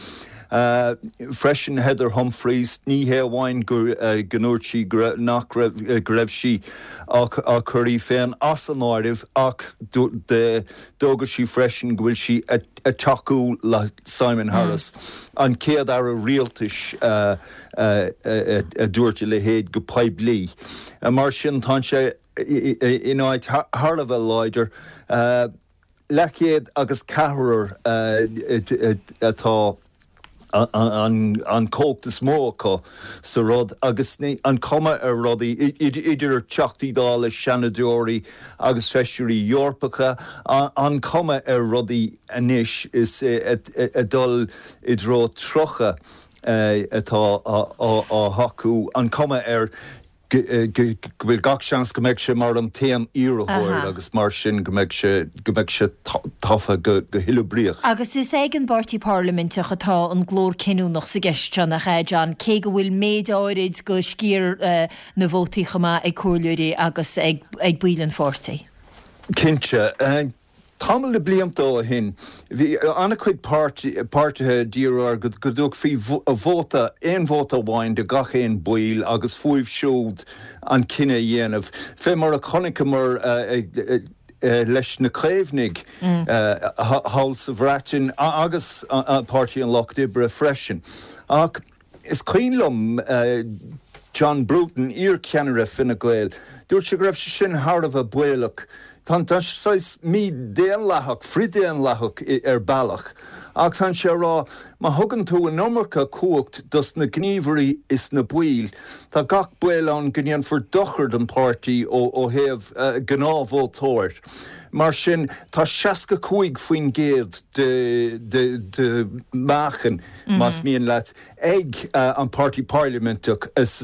[SPEAKER 18] Freisin Heather Humphreys, ní hé amháin go ndúirt sí go nach raibh, go raibh sí á cur í féin as an áireamh ach d'fhógair sí freisin go bhfuil sí ag tacú le Simon Harris, an chéad aire rialtais a dúirt a leithéid go poiblí. Mar sin tá sé in áit thar a bheith láidir. Leathchéad agus ceathrar atá an chumhacht is mó acu sa rud agus an chuma ar rudaí, idir Teachtaí Dála, Seanadóirí agus Feisirí Eorpacha, an chuma ar rudaí anois is ag dul i dtreo 30 atá á thacú, an chuma air. go bhfuil gach seans go mbeidh sé mar an t-aon iarrthóir agus mar sin go mbeidh sé, go mbeidh sé tofa go huileobríoch.
[SPEAKER 1] Agus is ag an bpáirtí parlaiminteach atá an glór cinniúnach sa gceist seo, nach ea, John, cé go bhfuil méid áirid de sciar na vótaí chomh maith ag comhairleoirí agus ag baill an pháirtí?
[SPEAKER 18] Cinnte. Tamall de blianta ó shin, bhí an-chuid páirtithe ag díriú ar go dtabharfaí vóta, aon vóta amháin do gach aon baill agus fúibh siúd an cinneadh a dhéanamh. Fé mar a chonaiceamar leis na Caomhnaigh thall sa Bhreatain agus Páirtí an Lucht Oibre freisin. Ach Is cuimhin liom John Bruton, iar-cheannaire Fine Gael, dúirt sé go raibh sé sin thar a bheith baolach. Tá sé saghas mídhaonlathach, frithdhaonlathach ar bealach, ach tá sé ag rá, má thugann tú an iomarca cumhacht dos na gníomhairí is na baill, tá gach baol ann go ndéanfar dochar don páirtí ó thaobh gnáthvótóir. Mar sin, tá 65% de mheáchan, más mian leat, ag an Páirtí Parlaiminteach is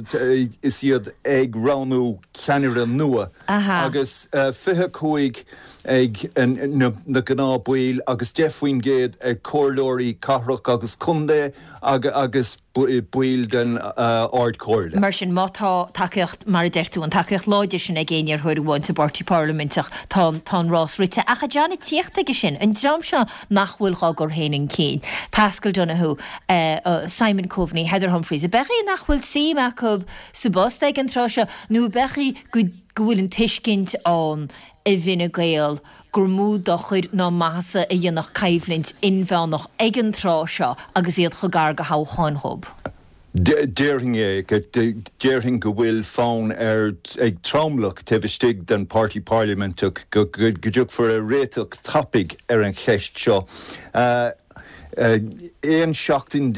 [SPEAKER 18] iad ag roghnú ceannaire nua agus 25 ag na gnáthbhaill agus 10% ag comhairleoirí cathrach agus contae agus baill den Ard-Chomhairle.
[SPEAKER 1] Mar sin, má tá tacaíocht, mar a deir tú, an tacaíocht láidir sin ag aon iarrthóir amháin sa bPáirtí Parlaiminteach, tá an rás rite. Ach a John, ag tíocht aige sin, an dream seo nach bhfuil dhá gcur féin chun cinn, Paschal Donohoe, Simon Coveney, Heather Humphreys, ab ea nach bhfuil suim acu sa bpost ag an tráth seo nó ab ea go bhfuil an tuiscint ann i bhFine Gael gur mó dochair ná maitheasa a dhéanfadh coimhlint inmheánach ag an tráth seo agus iad chomh gar do thoghchán dhób?
[SPEAKER 18] Déarfainn é, déarfainn go bhfuil fonn ar ag tromlach taobh istigh den Páirtí Parlaiminteach go dtiocfar ar réiteach tapaidh ar an cheist seo. 11 seachtain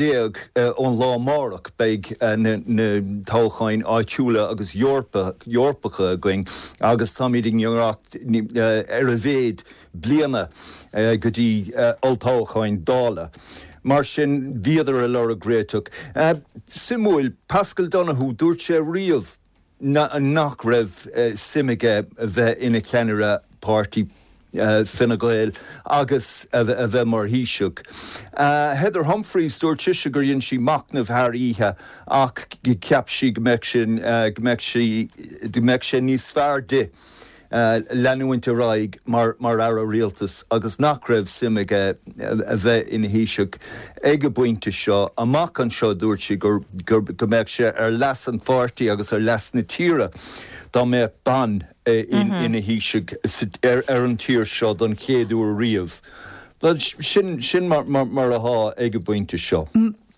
[SPEAKER 18] ón lá amárach beidh na toghcháin áitiúla agus Eorpacha againn agus táimid i ngiorracht ar a mhéad bliana go dtí olltoghcháin Dála. Mar sin, bhíodar ag lorg réiteach. Suimiúil, Paschal Donohoe, dúirt sé riamh nach raibh suim aige bheith ina cheannaire páirtí Fine Gael agus a bheith mar Thaoiseach. Heather Humphreys, dúirt sise gur dhein sí machnamh thar oíche ach cheap sí go mbeadh sé, go mbeadh sí, go mbeadh sé níos fearr di leanúint ar aghaidh mar Aire Rialtais agus nach raibh suim aige a bheith ina Thaoiseach ag an bpointe seo. Amach anseo, dúirt sí go mbeadh sé ar leas an pháirtí agus ar leas na tíre dá mbeadh bean ina Thaoiseach ar an tír seo don chéad uair riamh. Sin mar atá ag an bpointe seo.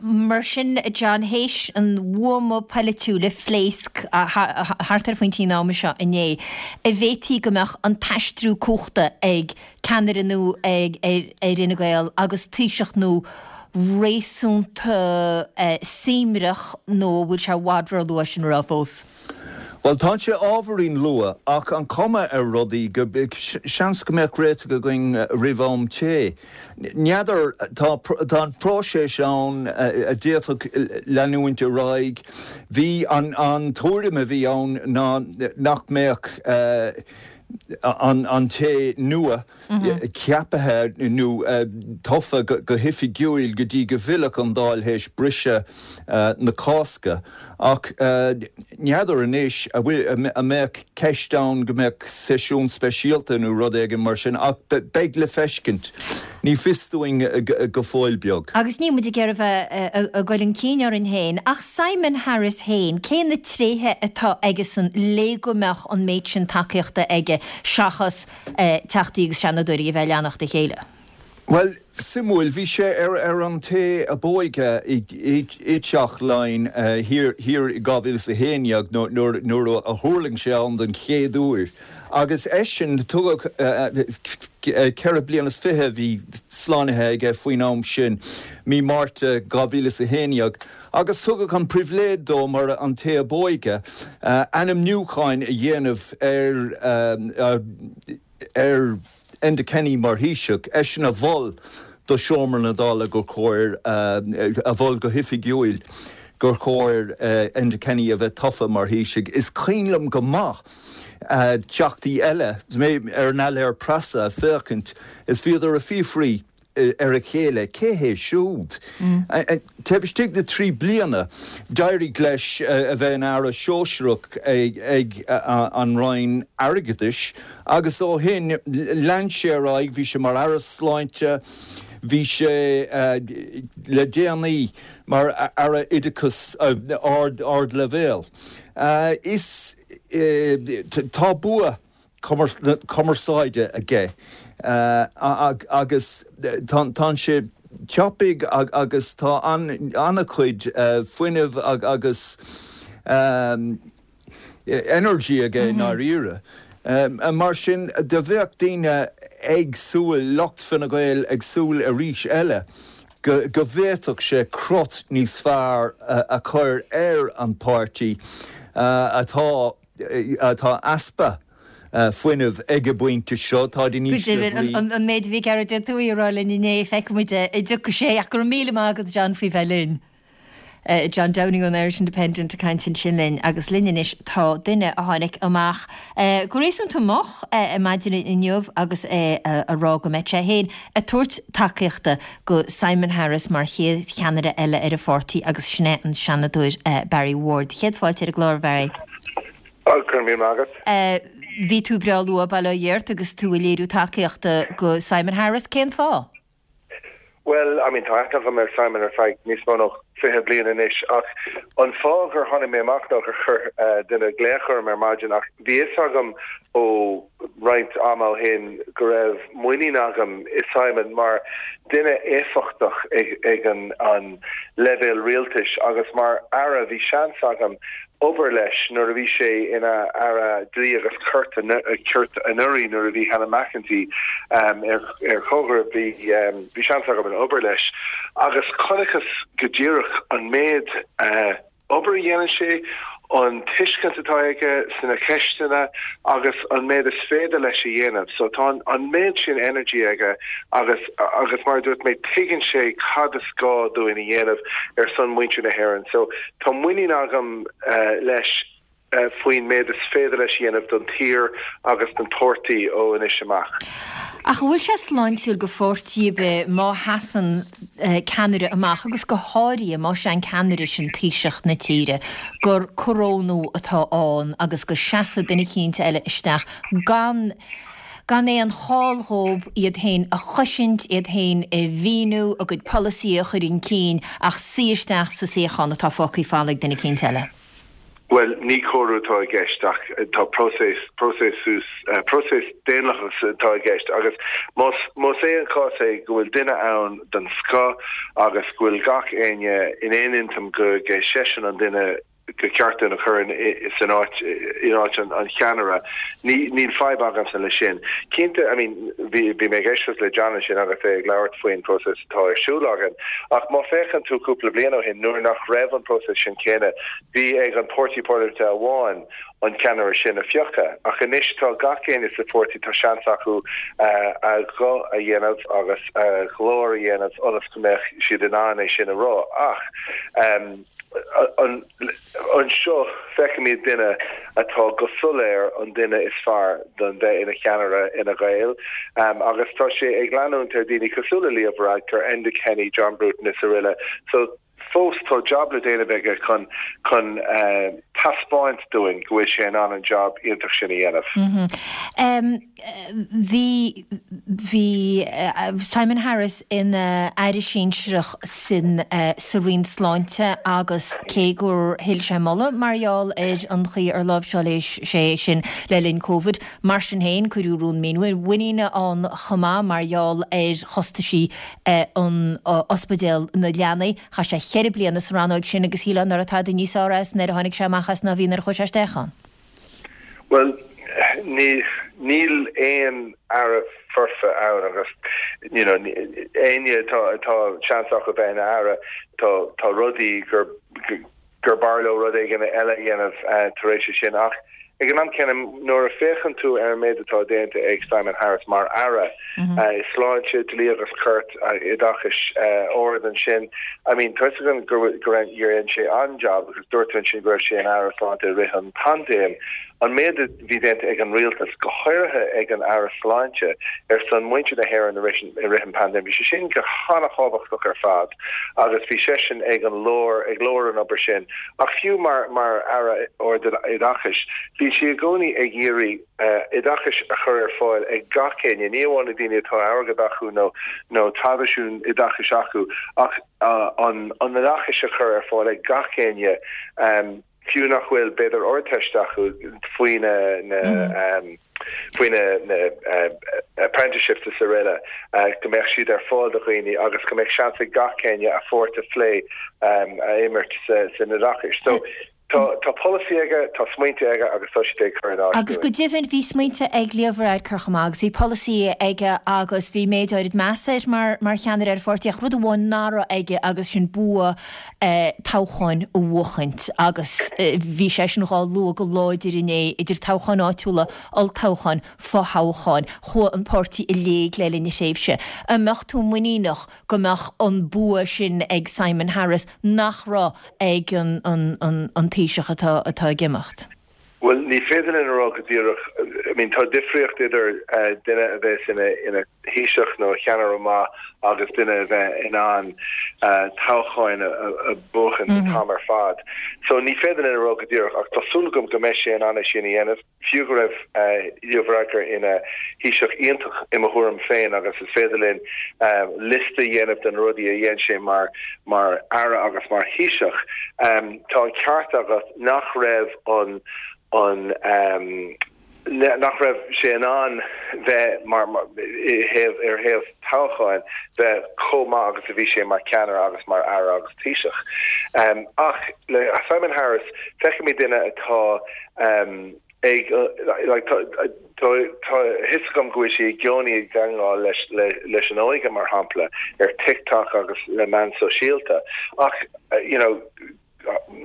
[SPEAKER 1] Mar sin, John, théis an bhuama polaitiúil a phléasc thart ar phointí an ama seo inné, an bhféadfaí go mbeadh an t-aistriú cumhachta ag ceannaire nua ar Fhine Gael agus Taoiseach nua réasúnta suaimhneach nó an bhfuil sé i bhfad ró-luath sin a rá fós?
[SPEAKER 18] Bhuel, tá sé ábhairín luath, ach an chuma ar rudaí go, seans go mbeadh réiteach againn roimh am tae. N'fheadar, tá tá an próiseas ann a d'fhéadfadh leanúint ar aghaidh. Bhí an an tuairim a bhí ann ná nach mbeadh an an té nua ceaptha nó tofa go hoifigiúil go dtí go bhfillfeadh an Dáil théis briseadh na Cásca. Ach n'fheadar anois an bhfuil, an mbeadh ceist ann go mbeadh seisiún speisialta nó rud éigin mar sin ach beidh le feiscint. Ní fios dúinn go fóill beag.
[SPEAKER 1] Agus níl muid ag iarraidh a bheith ag goil chun cinn orainn féin, ach Simon Harris féin, cé na tréithe atá aigesan le go mbeadh an méid sin tacaíochta aige seachas Teachtaí agus Seanadóirí a bheith ag leanacht a chéile?
[SPEAKER 18] Bhuel, suimiúil, bhí sé ar an té ab óige i dTeach Laighean thiar i 2011 nuair a thuirling sé ann den chéad uair agus eisean, tugadh 4 bliana is 20 a bhí slánaithe aige faoin am sin, mí Márta 2011, agus tugadh an pribhléid dó mar an té ab óige ainmniúcháin a dhéanamh ar ar Enda Kenny mar Thaoiseach, eisean a mhol do Sheomra na Dála gur chóir, a mhol go hoifigiúil gur chóir Enda Kenny a bheith tofa mar Thaoiseach. Is cuimhin liom go maith teachtaí eile, mé ar an ailéar preasa ag féachaint is bhíodar ag fiafraí ar a chéile, cé hé siúd? Taobh istigh de thrí bliana, d'éirigh leis a bheith ina Aire Sóisearach ag an Roinn Airgeadais agus ó shin lean sé ar aghaidh, bhí sé mar Aire Sláinte, bhí sé le déanaí mar Aire Oideachais Ardleibhéal. Is tá bua cumarsáide aige agus tá sé tapaidh agus tá an-chuid fuinnimh agus energy aige i ndáiríre. Mar sin, do bheadh daoine ag súil, lucht Fine Gael ag súil arís eile go bhféadfadh sé crot níos fearr a chur ar an páirtí atá atá easpa fuinnimh ag an bpointe seo, táid in
[SPEAKER 1] Go
[SPEAKER 18] ísle
[SPEAKER 1] deimhin,
[SPEAKER 18] brí.
[SPEAKER 1] an méid a bhí Gearóid Ó Tuathaigh a rá linn inné, feicfidh muid an dtiocfaidh sé, ach go raibh míle maith agat John faoi bheith linn. John Downing ón Irish Independent ag caint ansin linn agus linn anois tá duine a tháinig amach go réasúnta moch ar maidin inniu agus é a rá go mbeidh sé féin ag tabhairt tacaíochta go Simon Harris mar chéad cheannaire eile ar an pháirtí agus sin é an Seanadóir Barry Ward. Céad fáilte ar an gclár, Bharry.
[SPEAKER 19] Go raibh míle maith agat.
[SPEAKER 1] Bhí tú breá luath, bail ó Dhia ort, agus tú ag léiriú tacaíochta go Simon Harris. Cén fáth?
[SPEAKER 19] Bhuel, I mean, tá aithne agam ar Simon ar feadh níos mó ná 20 bliain anois ach an fáth gur tháinig mé amach ná gur chuir duine glaoch orm ar maidin ach bhí fhios agam ó roinnt ama ó shin go raibh muinín agam i Simon mar duine éifeachtach ag an leibhéal rialtais agus mar Aire bhí seans agam obair leis nuair a bhí sé ina Aire Dlí agus Cirt anuraidh nuair a bhí Helen McEntee ar chomharbas. Bhí seans agam obair leis agus chonaiceas go díreach an méid obair a dhéanann sé, an tuiscint atá aige sna ceisteanna agus an méid is féidir leis a dhéanamh. So tá an méid sin energy aige agus agus mar a dúirt mé tuigeann sé cad is gá dúinn a dhéanamh ar son muintir na hÉireann. So Tá muinín agam leis faoin méid is féidir leis a dhéanamh don tír agus don pháirtí ó anois amach.
[SPEAKER 1] Ach an bhfuil sé sláintiúil go pháirtí ar bith má sheasann ceannaire amach, agus go háirithe más é an ceannaire sin Taoiseach na tíre, gur corónú atá ann agus go seasfaidh duine eicínt eile isteach gan gan aon chall dhóib iad féin a chosaint, iad féin a mhíniú, a gcuid polasaí a chur chun cinn, ach suí isteach sa suíochán atá fágtha folamh ag duine eicínt eile.
[SPEAKER 19] Bhuel, ní cóiriú atá i gceist ach tá próiseas, próiseas, próiseas daonlathach atá i gceist agus más, más é an cás é go bhfuil duine ann den scoth agus go bhfuil gach éinne in aon intinn go é seisean an duine gur ceart dúinn a chur san áit, in áit an cheannaire. Níl fadhb agamsa leis sin. Cinnte, I mean, bhí mé ag éisteacht le John ansin agus é ag labhairt faoin próiseas atá ar siúl againn, ach má féachann tú cúpla bliain ó shin, nuair nach raibh an próiseas sin céanna, bhí ag an páirtí parlaiminte amháin an ceannaire sin a phiocadh. Ach anois tá gach éinne sa pháirtí, tá seans acu a ghuth a dhéanamh agus a ghlór a dhéanamh ionas go mbeadh siad in ann é sin a rá. Ach. Anseo feicimid duine atá go soiléir an duine is fearr don bheith ina cheannaire Fhine Gael agus tá sé ag leanúint ar daoine cosúil le Leo Varadkar, Enda Kenny, John Bruton is aroile. So fós tá jab le déanamh aige chun chun taispeáint dúinn go bhfuil sé in ann an jab iontach sin a dhéanamh.
[SPEAKER 1] Bhí, bhí Simon Harris ina aire sinsearach sin sa Roinn Sláinte agus cé gur thuill sé moladh mar gheall ar an chaoi ar láimhseáil sé é sin le linn Covid, mar sin féin cuireadh rún mímhuiníne ann chomh maith mar gheall ar chostaisí an ospidéal na leanaí. Chaith sé cheithre bliana sa rannóig sin agus shílfeá nach raibh tada níos fearr as nuair a tháinig sé amach as ná a bhí nuair a chuaigh sé isteach ann.
[SPEAKER 19] Bhuel, níl aon aire foirfe ann agus you know éinne atá atá seans acu bheith ina aire tá tá rudaí gur gur b'fhearr leo rud éigin eile a dhéanamh tar éis sin ach ag an am céanna nuair a féachann tú ar an méid atá déanta ag Simon Harris mar aire sláinte, dlí agus cirt, oideachais ard ansin I mean tá fhios againn gur gur dhein sé an-jab agus dúirt tú ansin go raibh sé ina aire sláinte i rith an paindéim. An méid a bhí déanta ag an rialtas, go háirithe ag an Aire Sláinte, ar son muintir na hÉireann i rith an paindéim, bhí sé sin go han-thábhachtach ar fad agus bhí seisean ag an lár, ag lár an obair sin. Ach fiú mar mar Aire Ard-Oideachais, bhí sé i gcónaí ag iarraidh oideachais a chur ar fáil ag gach éinne, ní amháin na daoine atá airgead acu nó nó traidisiún oideachais acu, ach an an oideachais a chur ar fáil ag gach éinne. fiú nach bhfuil b'fhéidir Ardteist acu faoi na na faoi na na apprenticeships is aroile go mbeadh siad ar fáil do dhaoine agus go mbeadh seans ag gach éinne a pháirt a phlé a imirt sa san oideachais. So. Tá tá polasaí aige, tá smaointe aige agus tá siad ag cur in áit
[SPEAKER 1] Agus go
[SPEAKER 19] dúinn.
[SPEAKER 1] deimhin bhí smaointe ag Leo Varadkar chomh maith agus bhí polasaí aige agus bhí méid áirid measa air mar mar cheannaire ar an pháirtí ach rud amháin nach raibh aige agus sin bua toghcháin a bhuachaint agus bhí sé sin dhá lua go láidir inné idir toghcháin áitiúla, olltoghcháin, fothoghcháin. Chuaigh an páirtí i léig le linn a thréimhse. An mbeadh tú muiníneach go mbeadh an bua sin ag Simon Harris nach raibh ag an Taoiseach atá atá ag imeacht?
[SPEAKER 19] Bhuel, ní féidir linn a rá go díreach. I mean, tá difríocht idir duine a bheas ina ina Thaoiseach nó cheannaire maith agus duine a bheith in ann toghcháin a bhuachan an t-am ar fad. So ní féidir linn a rá go díreach ach tá súil agam go mbeidh sé in ann é sin a dhéanamh. Fiú go raibh Leo Varadkar ina Thaoiseach iontach i mo thuairim féin agus is féidir linn liosta a dhéanamh de na rudaí a dhein sé mar mar Aire agus mar Thaoiseach, tá an ceart agat nach raibh an an nach raibh sé in ann bheith mar i thaobh ar thaobh toghcháin bheith chomh maith agus a bhí sé mar cheannaire agus mar Aire agus Taoiseach. Ach le Simon Harris feicimid duine atá ag like tá tá tá a fhios agam go bhfuil sé i gcónaí ag teagmháil leis leis an óige mar shampla ar TikTok agus le meáin sóisialta ach you know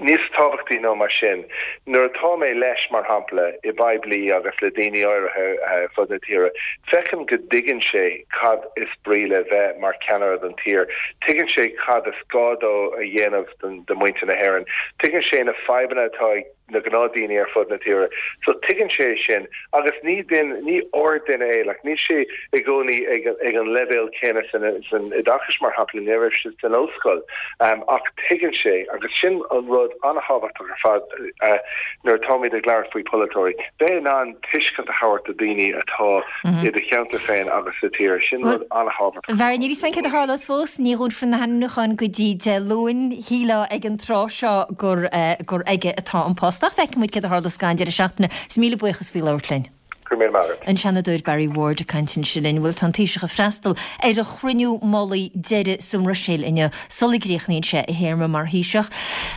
[SPEAKER 19] níos tábhachtaí ná mar sin nuair atá mé leis mar shampla i bpoiblí agus le daoine áirithe ar fud na tíre feicim go dtuigeann sé cad is brí le bheith mar cheannaire don tír tuigeann sé cad is gá dó a dhéanamh don do muintir na hÉireann tuigeann sé na fadhbanna atá ag na gnáthdaoine ar fud na tíre. So tuigeann sé sin agus ní duine, ní ard-duine é, like níl sé i gcónaí ag ag an leibhéal céanna san san oideachas mar shampla, ní raibh sé san ollscoil um ach tuigeann sé agus sin an rud an-thábhachtach ar fad uh nuair atáimid ag labhairt faoi pholaiteoirí, bheith in ann tuiscint a thabhairt do daoine atá i do cheantar féin agus sa tír, sin rud an-thábhachtach.
[SPEAKER 1] A Bharry, níl a fhios againn céard a tharlós fós, ní dhúnfar na hainmniúcháin go dtí Dé Luain. Shílfeá ag an tráth seo gur gur aige atá an post. Ach feicfidh muid céard a tharlós ag an deireadh seachtaine. Is míle buíochas faoi labhairt linn.
[SPEAKER 19] Go raibh míle maith agat.
[SPEAKER 1] An Seanadóir Barry Ward ag caint ansin linn. Bhuel, tá an Taoiseach ag freastal ar a chruinniú mullaigh deiridh sa mBruiséil inniu sula gcríochnaíonn sé a théarma mar Thaoiseach.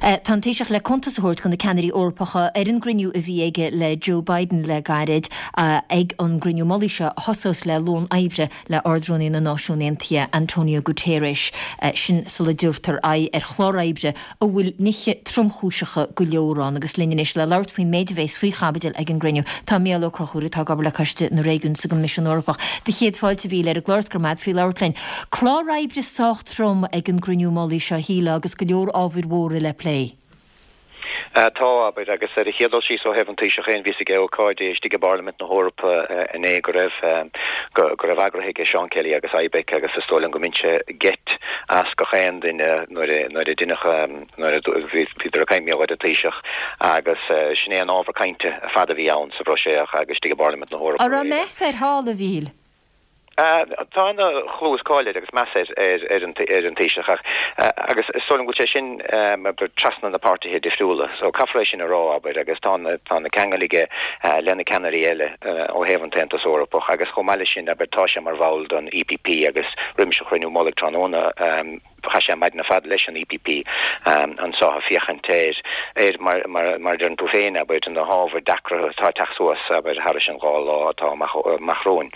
[SPEAKER 1] Tá an Taoiseach le cuntas a thabhairt do na ceannairí Eorpacha ar an gcruinniú a bhí aige le Joe Biden le gairid ag an gcruinniú mullaigh seo a thosós le lón oibre le Ard-Rúnaí na Náisiún Aontaithe, Antonio Guterres, sin sula dtabhartar aghaidh ar chlár oibre a bhfuil nithe tromchúiseacha go leor ann. Agus linn anois le labhairt faoin méid a bhéas faoi chaibidil ag an gcruinniú, tá Mícheál Ó Conchúir atá ag obair le Coiste na Réigiún sa gCoimisiún Eorpach. Do chéad fáilte, a Mhíchíl, ar an gclár is go raibh maith agat faoi labhairt linn. Clár oibre sách trom ag an gcruinniú mullaigh seo, a shílfeá, agus go leor ábhair mhóra le plé.
[SPEAKER 20] Tá, abair, agus ar an chéad dul síos ó thaobh an Taoiseach féin, bhí a fhios aige ócáid istigh i bParlaimint na hEorpa inné go raibh, go raibh eagraithe aige Seán Kelly agus IBEC agus is dóigh liom go mbain sé geit as gach aon duine nuair a, nuair a deineadh, nuair a bhíodar ag caint mar gheall ar an Taoiseach agus sin é an ábhar cainte ar fad a bhí ann sa Bhruiséil agus istigh i bParlaimint na hEorpa
[SPEAKER 1] An raibh meas air thall, a Mhíchíl?
[SPEAKER 20] Tá ana-chlú is cáil air agus meas air ar an Taoiseach ach agus is dóigh liom go bhfuil sé sin abair trasna na páirtithe difriúla so caithfear é sin a rá abair agus tá tá na ceangail aige le na ceannairí eile ó thaobh an tAontas Eorpach agus chomh maith leis sin abair tá sé mar bhall don EPP agus roimis an chruinniú mullaigh tráthnóna Chaith sé an maidin ar fad leis an EPP anso ag féachaint ar, ar, mar, mar, mar a deireann tú féin, abair, na hábhair deacra atá ag teacht suas, abair, thairis an dá lá atá amach, amach romhainn.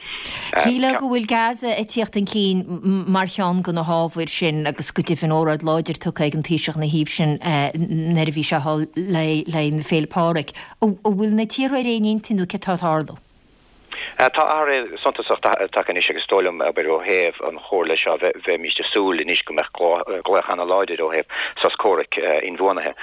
[SPEAKER 1] Shílfeá go bhfuil Gaza ag tíocht chun cinn mar cheann de na hábhair sin agus go deimhin óráid láidir tugtha ag an Taoiseach ina thaobh sin nuair a bhí sé thall le linn Féile Pádraig. An bhfuil na tíortha ar aon intinn nó céard atá ag tarlú?
[SPEAKER 20] Tá athrú suntasach tagtha anois agus is dóigh liom, abair, ó thaobh an chomhairle seo, bheimíst ag súil anois go mbeadh glaoch ana-láidir ó thaobh sos comhraic inbhuanaithe,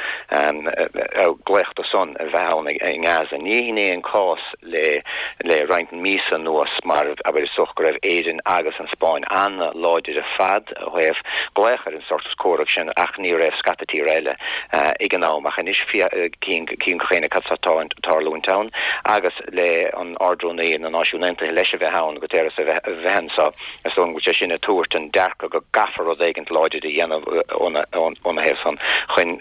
[SPEAKER 20] glaoch dó san a bheith ann i nGaza. Ní hin é an cás le le roinnt míosa anuas mar, abair, is dócha go raibh Éirinn agus an Spáinn ana-láidir ar fad ó thaobh glaoch ar an sos comhraic sin ach ní raibh scata tíortha eile ag an am. Ach anois cíonn gach éinne cad atá ag tarlúint ann agus, le an Ard-Rúnaí na Náisiún Aontaithe leis a bheith ann, Guterres a bheith anso, is dóigh liom go bhfuil sé sin ag tabhairt an dearcadh go gcaithfear rud éigint láidir a dhéanamh óna thaobh san chun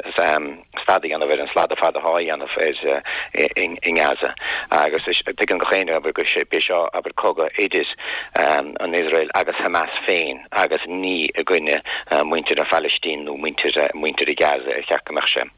[SPEAKER 20] stad a dhéanamh ar an slad ar fad atá á dhéanamh i nGaza. Agus tuigeann gach éinne, abair, go b'é seo, abair, cogadh idir an Iosrael agus Hamas féin agus ní i gcoinne muintir na Phalaistín nó muintir Gaza ar cheart go mbeadh sé.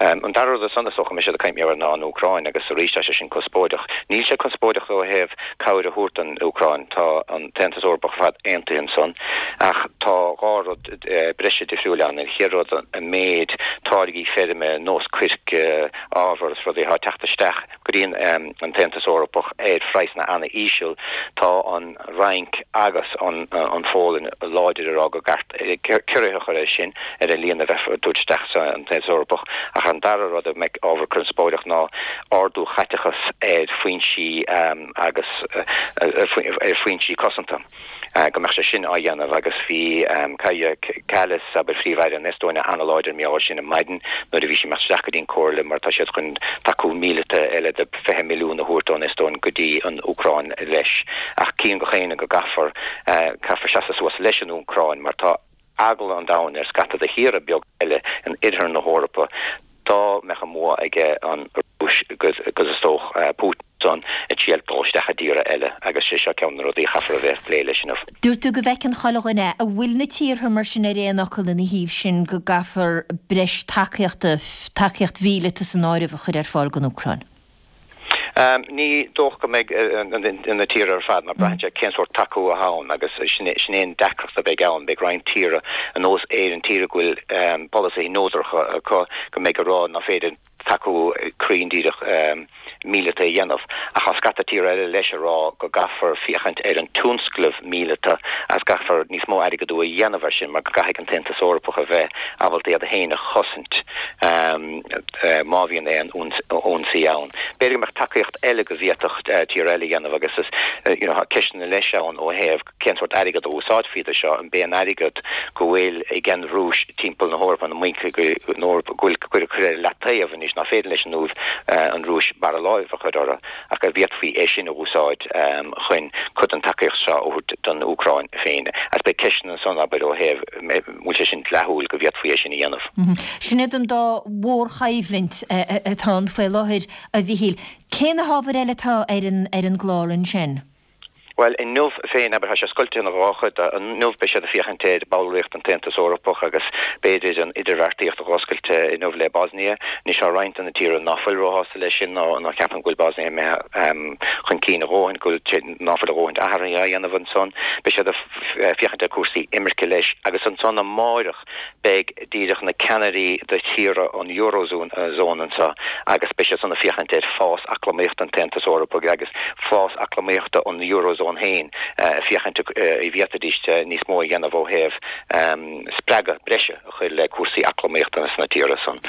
[SPEAKER 20] An dara rud ansan is dócha go mbeidh siad ag caint mar gheall air ná an Úcráin agus arís tá sé sin conspóideach. Níl sé conspóideach ó thaobh cabhair a thabhairt don Úcráin, tá an tAontas Eorpach ar fad aontaithe ansan, ach tá dhá rud breise difriúil ann. An chéad rud an méid táirgí feirme, nós coirce, ábhar is rudaí atá ag teacht isteach go dtí an tAontas Eorpach ar phraghsanna ana-íseal, tá an Fhrainc agus an Pholainn láidir ag rá go gceart ciorruithe a chur air sin, ar an líon a bheifear ag tabhairt isteach san Aontas Eorpach. Ach an dara rud a mbeidh ábhar conspóideach ná ardú chaiteachas ar foinsí agus ar foinsí cosanta. go mbeadh sé sin á dhéanamh agus bhí Kaja Kallas, abair, Phríomh-Aire na hEastóine an-láidir mar gheall air sin ar maidin nuair a bhí sí ag imeacht isteach go dtí an Comhairle mar tá siad chun tacú míleata eile de 20 milliún a thabhairt ón Eastóin go dtí an Úcráin leis. Ach cíonn gach éinne go gcaithfear caithfear seasamh suas leis an Úcráin mar tá eagla an domhain ar scata de thíortha beaga eile in oirthear na hEorpa dá mbeadh an bua aige an Rúis agus is dócha Putin ansan ag triail dul isteach i dtíortha eile agus sé seo ceann de na rudaí a chaithfear a bheith ag plé leis inniu.
[SPEAKER 1] Dúirt tú go bhfeiceann chuile dhuine é. An bhfuil na tíortha mar sin ar aon fhocal ina thaobh sin go gcaithfear breis tacaíochta, tacaíocht mhíleata san áireamh, a chur ar fáil don Úcráin?
[SPEAKER 20] Ní dócha go mbeidh na tíortha ar fad, mar braitheann sé cén sórt tacú atá ann agus sin é an deacracht a bheidh ann. Beidh roinnt tíortha, ar nós Éireann, tíortha go bhfuil polasaithe neodracha acu, go mbeidh ag rá ná féidir tacú cruinn díreach míleata a dhéanamh. Ach tá scata tíortha eile leis ag rá go gcaithfear féachaint ar an tionscnamh míleata agus caithfear níos mó airgeadú a dhéanamh air sin mar go gcaithfidh an tAontas Eorpach a bheith ábalta iad féin a chosaint má bhíonn aon ionsaí ann. B'fhéidir go mbeadh tacaíocht eile go bhféadfadh tíortha eile a dhéanamh agus is you know tá ceisteanna leis ann ó thaobh cén sórt airgead a úsáidfí do seo, an b'é an airgead go bhfuil ag an Rúis timpeall na hEorpa, na mbainc na hEorpa go bhfuil curtha ar leataobh anois ná féidir leis an an Rúis barra láimh a chur orthu ach an bhféadfaí é sin a úsáid chun cuid den tacaíocht seo a thabhairt don Úcráin féin. Agus beidh ceisteanna ansan abair ó thaobh bhfuil sé sin dleathúil go bhféadfaí é sin a dhéanamh.
[SPEAKER 1] Sin iad an dá mhórchoimhlint atá ann faoi láthair, a Mhichíl. Cé na hábhair eile atá ar an gclár ansin?
[SPEAKER 20] Bhuel, inniu féin, abair, tá sé scoilte ina dhá chuid. Inniu beidh siad ag féachaint ar bhallraíocht an tAontas Eorpach agus b'fhéidir an idirbheartaíocht a dh'oscailt inniu le Bosnia. Anois tá roinnt de na tíortha ná fuil róshásta leis sin, ná ná ceapann go bhfuil Bosnia imithe chun cinn a dhóthain, go bhfuil ná fuil a dhóthain athraithe á dhéanamh ansan. Beidh siad ag féachaint ar cúrsaí imirce leis agus ansan amáireach beidh díreach na ceannairí de thíortha an Eurozone anseo agus beidh siad san ag féachaint ar fás eacnamaíochta an tAontas Eorpaigh agus fás eacnamaíochta an Eurozone féin féachaint an bhféadfaidís níos mó a dhéanamh ó thaobh spreagadh breise a chur le cúrsaí eacnamaíochta sna tíortha san.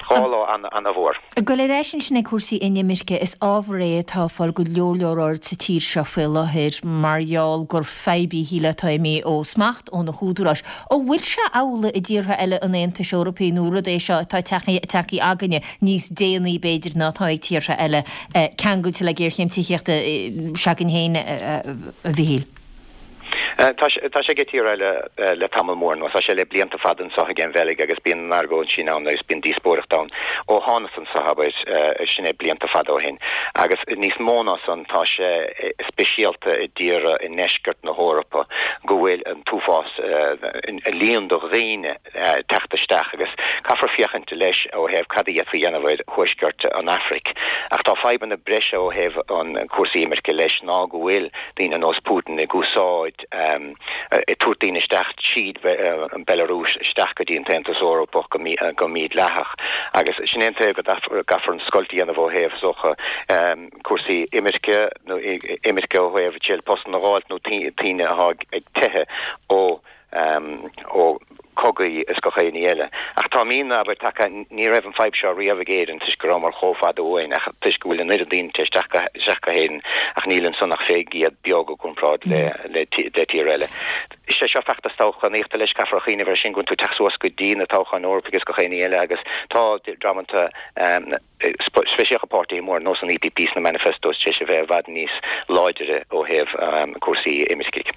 [SPEAKER 20] Dhá lá ana-mhór.
[SPEAKER 1] Ag dul ar ais ansin ag cúrsaí inimirce, is ábhar é atá ag fáil go leor leor aird sa tír seo faoi láthair mar gheall gur fadhb í shílfeá atá imithe ó smacht ó na húdaráis. An bhfuil sé amhlaidh i dtíortha eile an Aontais Eorpaigh nó rud é seo atá tagtha againne níos déanaí b'fhéidir ná atá ag tíortha eile ceangailte le géarchéim tithíochta s'againn féin, a Mhichíl?
[SPEAKER 20] Tá sé ag tíortha eile le tamall mór anuas. Tá sé le blianta fada anseo ag an Bheilg agus bíonn an argóint sin ann agus bíonn díospóireacht ann ó thánas anseo, abair, sin é blianta fada ó shin. Agus níos mó ná san, tá sé speisialta i dtíortha i ndeisceart na hEorpa go bhfuil an t-uafás líon de dhaoine teacht isteach agus caithfear féachaint leis ó thaobh cad a d'fhéadfaí a dhéanamh ar thuaisceart an Afraic. Ach tá fadhbanna breise ó thaobh an cúrsaí imirce leis ná go bhfuil daoine ar nós Putin ag úsáid, ag tabhairt daoine isteach tríd an Belarúis isteach go dtí an tAontas Eorpach go mídhleathach. Agus sin é an taobh go gcaithfear an scoilt a dhéanamh ó thaobh, is dócha, cúrsaí imirce nó imirce ó thaobh triail postanna a dh'fháilt nó daoine atá ag teitheadh ó ó cogaí is gach aon ní eile. Ach tá míonna, abair, tagtha, ní raibh an fadhb seo riamh ag Éirinn toisc go rabhamar chomh fada uainn ach toisc go bhfuil an oiread daoine ag teacht isteach go hÉirinn ach níl ansan ach fé gcéad beag i gcomparáid le le tír eile. Is é seo feachtas toghchánaíochta leis, caithfear a chuimhneamh ar sin go bhfuil tú ag teacht suas go dtí na toghcháin Eorpaigh is gach aon ní eile agus tá dreamanna speisialta páirtithe móra ar nós an EPP sna manifestos tar éis a bheith i bhfad níos láidre ó thaobh cúrsaí imircigh.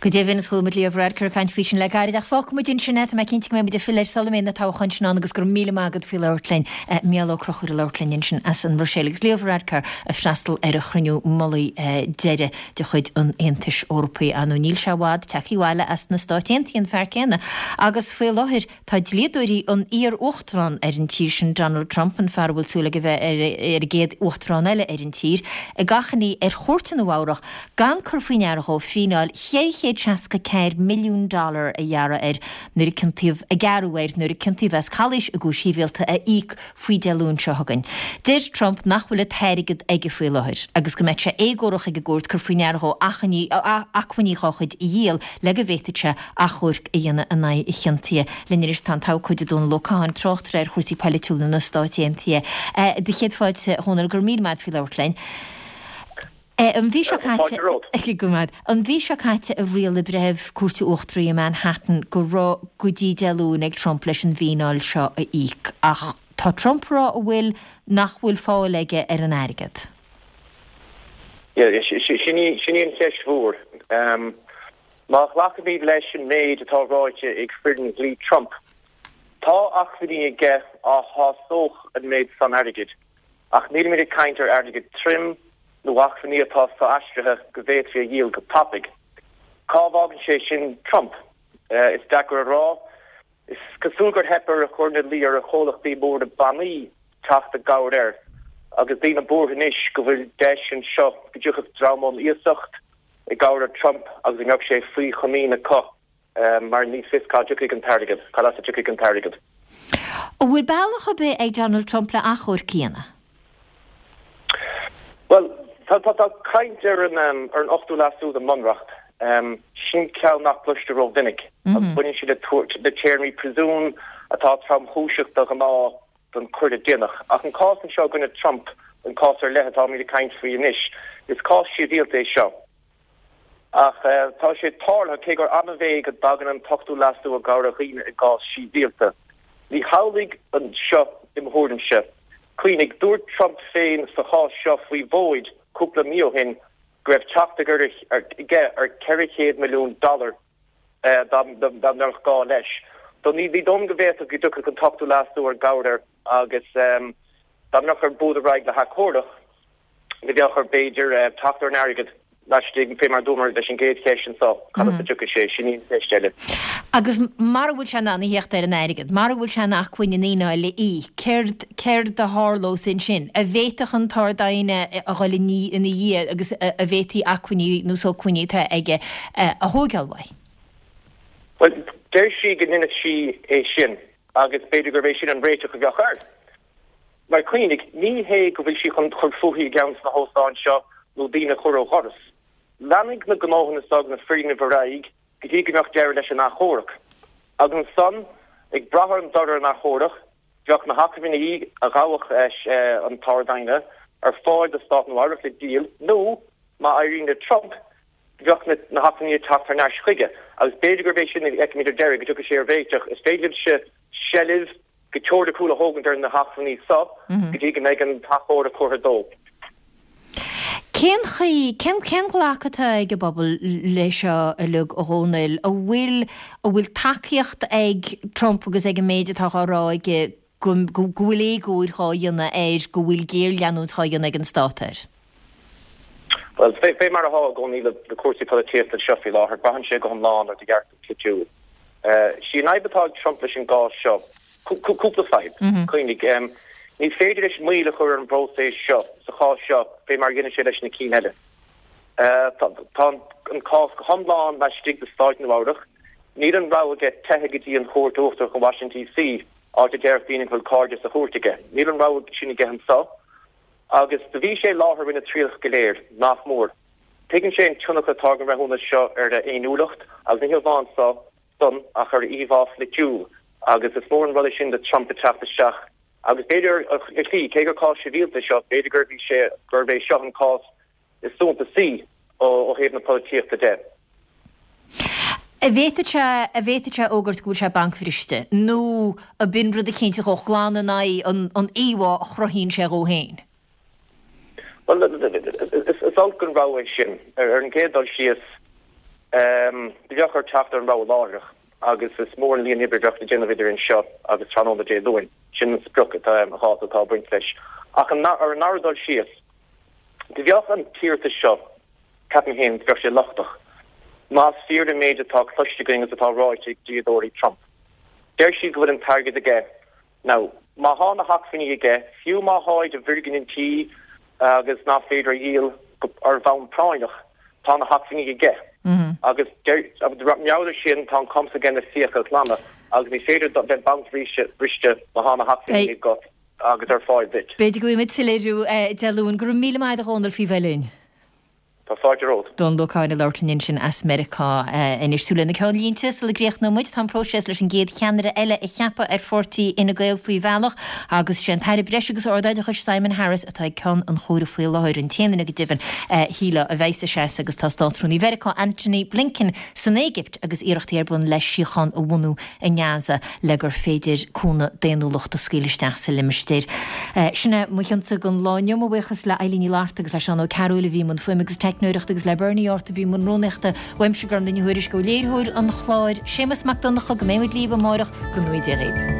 [SPEAKER 1] Go deimhin, is chuala muid Leo Varadkar ag caint faoi sin le gairid, ach fágfaidh muid ansin é, tá mé cinnte go mbeidh muid ag filleadh air sula mbeidh na toghcháin sin ann agus go raibh míle maith agat faoi labhairt linn. Mícheál Ó Conchúir ag labhairt linn ansin as an mBruiséil agus Leo Varadkar ag freastal ar an chruinniú mullaigh deiridh de chuid an Aontais Eorpaigh. Ar ndóigh níl sé i bhfad tagtha abhaile as na Stáit Aontaithe, an fear céanna, agus faoi láthair Tá dlíodóirí an iar-uachtarán ar an tír sin, Donald Trump, an fear a bhfuil súil aige bheith ar an gcéad uachtarán eile ar an tír, ag achainí ar chúirt i Nua Eabhrach gan cur faoi ndeara dhó fíneáil 464 milliún dollar a ghearradh air nuair a ciontaíodh a gearradh air nuair a ciontaíodh as calaois i gcúis shibhialta a íoc faoi Dé Luain seo chugainn. Deir Trump nach bhfuil an t-airgead aige faoi láthair agus go mbeadh sé éagórach ag an gcúirt cur faoi ndeara dhó acmhainní dhá chuid a dhíol le go bhféadfadh sé achomharc a dhéanamh in aghaidh a chiontaithe. Linn anois tá an t-abhcóide Dónal Ó Catháin, tráchtaire ar chúrsaí poilitiúla na Stáit Aontaithe. Do chéad fáilte, a Dhónaill, go raibh míle maith agat faoi labhairt linn. An mhí seo caite, go raibh maith agat. An mhí seo caite a rialaigh breitheamh Cúirte Uachtaraí i Manhattan go raibh go dtí Dé Luain ag Trump leis an bhfíneáil seo a íoc. Ach tá Trump ag rá an bhfuil nach bhfuil fáil aige ar an airgead.
[SPEAKER 21] Yeah, sin í an cheist mhór. Má ghlacaimid leis an méid atá ráite ag foireann dhlí Trump, tá acmhainní aige a shásódh an méid san airgid, ach nílimid ag caint ar airgead tirim nó acmhainní atá so-aistrithe go bhféadfaí a dhíol go tapaidh. Cá bhfágann sé sin Trump? Is deacair a rá. Is cosúil gur theip ar a chur ina luí ar a chomhlachtaí móra bannaí teacht i gcabhair air agus daoine buartha anois go bhfuil deis anseo go dtiocfadh dream ón iasacht i gcabhair ar Trump agus go mbeadh sé faoi chomaoin acu mar ní fios cá dtiocfaidh an t-airgead, cad as a dtiocfaidh an t-airgead.
[SPEAKER 1] An bhfuil bealach ar bith ag Donald Trump le achomharc a dhéanamh?
[SPEAKER 21] Bhuel, tá caint ar an ar an Ochtú Leasú den mBunreacht. Sin ceann nach gcloistear rómhinic agus baineann sé le le téarmaí príosúin atá tromchúiseach de ghnáth don choir a déanadh. Ach an cás anseo i gcoinne Trump, an cás ar leith atáimid ag caint faoi anois, is cás sibhialta é seo. Ach tá sé tarlaithe, cé gur annamh é go dtagann an tOchtú Leasú i gcabhair ar dhaoine i gcás sibhialta. Ní hamhlaidh anseo i mo thuairimse. Cuimhnigh, dúirt Trump féin sa chás seo faoi mhóid cúpla mí ó shin go raibh teacht aige ar 400 milliún dollar dá mbeadh gá leis. So ní dóigh liom go bhféadfadh go dtiocfadh an tOchtú Leasú ar gcabhair air agus dá mbeadh air bualadh ar aghaidh le hachomharc, ní bheadh air, b'fhéidir, teacht ar an airgead laistigh, fé mar a dúramar leis an gcéad cheist anso, cad as a dtiocfaidh sé, sin í an cheist eile.
[SPEAKER 1] Agus mara bhfuil sé in ann a theacht ar an airgead, mara bhfuil sé in acmhainn an fhíneáil a íoc, céard, céard a tharlós ansin? An bhféadfadh an tArd-Aighne a dhul ina dhiaidh agus an bhféadfaí acmhainní nó sócmhainní atá aige a thóigeáil uaidh?
[SPEAKER 21] Bhuel, deir sí go ndéanfadh sí é sin agus b'fhéidir gurb é sin an réiteach a bheadh air. Mar cuimhnigh, ní hé go bhfuil sí chun cur fúithi i gceann de na hóstáin seo nó daoine a chur ó dhoras. Leanfaidh na gnóthanna seo agus na foirgnimh ar aghaidh go dtí go mbeadh deireadh leis an achomharc. Agus ansan, ag brath ar an dtoradh ar an achomharc, bheadh na hacmhainní a ghabhfadh an tArd-Aighne ar fáil do Stát Nua Eabhrac le díol nó, má éiríonn le Trump, bheadh na hacmhainní ag teacht thar n-ais chuige. Agus b'fhéidir gurb é sin a fheicfimid ar deireadh, go dtiocfaidh sé ar réiteach. Is féidir leis seilbh go teoiriciúil a thógaint ar na hacmhainní so go dtí go mbeidh an t-achomharc curtha dó.
[SPEAKER 1] Cén chaoi, cén, cén ghlacadh atá ag an bpobal le seo uilig, a Dhónaill? An bhfuil, an bhfuil tacaíocht ag Trump agus ag an méid atá dhá rá aige go, go, go bhfuil éagóir dhá dhéanamh air, go bhfuil géarleanúint dhá dhéanamh ag an stát air?
[SPEAKER 21] Bhuel, fé, fé mar atá i gcónaí le, le cúrsaí polaitíochta anseo faoi láthair, braitheann sé go hiomlán ar do dhearcadh polaitiúil. Sí an fhadhb atá ag Trump leis an gcás seo, cúpla fadhb, cuimhnigh, ní féidir leis moill a chur ar an bpróiseas seo sa chás seo fé mar a dhéanann sé leis na cinn eile. Tá an cás go hiomlán laistigh de Stáit Nua-Eabhrac. Níl an rogha aige teitheadh go dtí an Chúirt Uachtarach in Washington DC, áit a déarfadh daoine go bhfuil cairde sa chúirt aige. Níl an rogha sin aige anseo. Agus do bhí sé i láthair i rith na trialach go léir, nach mór. Tuigeann sé an tionchar atá ag an mbreithiúnas seo ar a fhéiniúlacht agus ní hamháin san ach ar a íomhá pholaitiúil agus is mór an rud é sin do Trump ag teacht isteach agus b'fhéidir ar shlí, cé gur cás sibhialta é seo, b'fhéidir gurb í sé gurb é seo an cás is suntasaí ó thaobh na polaitíochta de.
[SPEAKER 1] An bhféadfadh sé, an bhféadfadh sé a fhógairt go bhfuil sé bancbhriste nó ab in rud eicínt a ghabhfadh glan in aghaidh an íomhá a chruthaíonn sé dhó féin?
[SPEAKER 21] Bhuel, is olc an rogha é sin. Ar an gcéad dul síos, Do bheadh air teacht ar an rogha láithreach agus is mór an líon oibre a bheadh le déanamh idir anseo agus tráthnóna Dé Luain. Sin an sprioc atá, an dáta atá ag baint leis. Ach ar an ndara dul síos, do bheadh an t-iarratas seo, ceapaim féin, do bheadh sé lochtach, más fíor an méid atá cloiste againn agus atá ráite ag dlíodóirí Trump. Deir siad go bhfuil an t-airgead aige. Now, má thá na hacmhainní aige, fiú má tháid i bhfoirgnintí agus nach féidir a dhíol ar bhonn práinneach, tá na hacmhainní aige. Agus mar gheall ar sin, tá an cumas aige na fiacha a ghlanadh agus ní féidir bheith bancbhriste má thá na hacmhainní agat agus ar fáil duit.
[SPEAKER 1] B'fhéidir go bhfaighidh muid soiléiriú Dé Luain. Go raibh míle maith agat a Dhónaill faoi bheith linn.
[SPEAKER 21] Tá fáilte romhat.
[SPEAKER 1] Dónall Ó Catháin ag labhairt linn ansin as Meiriceá. Anois súil ar na ceannlínte sula gcríochnóidh muid. Tá an próiseas leis an gcéad cheannaire eile a cheapadh ar pháirtí Fhine Gael faoi bhealach agus sé an tAire Breis agus Ardoideachais Simon Harris atá ag ceann an chomhairimh faoi láthair. An t-aon duine go deimhin, shílfeá, a bheas ag seasamh agus tá Státrúnaí Mheiriceá Antony Blinken san Éigipt agus iarrachtaí ar bun le síocháin a bhunú i nGaza le gur féidir cúnamh daonnúlachta a scaoileadh isteach sa limistéar. Sin é mo chionsa don lá inniu. Mo bhuíochas le Eilín Ní Fhlatharta agus le Seán Ó Cearúil a bhí i mbun fuaime agus teicneoireachta agus le Bernie Art a bhí i mbun rúnaíochta. Uaimse, Gormfhlaith Ní Thuairisg, ó léiritheoir an chláir, Séamus Mac Donncha, go mbeidh muid libh amárach, go ngnóthaí Dia dhaoibh.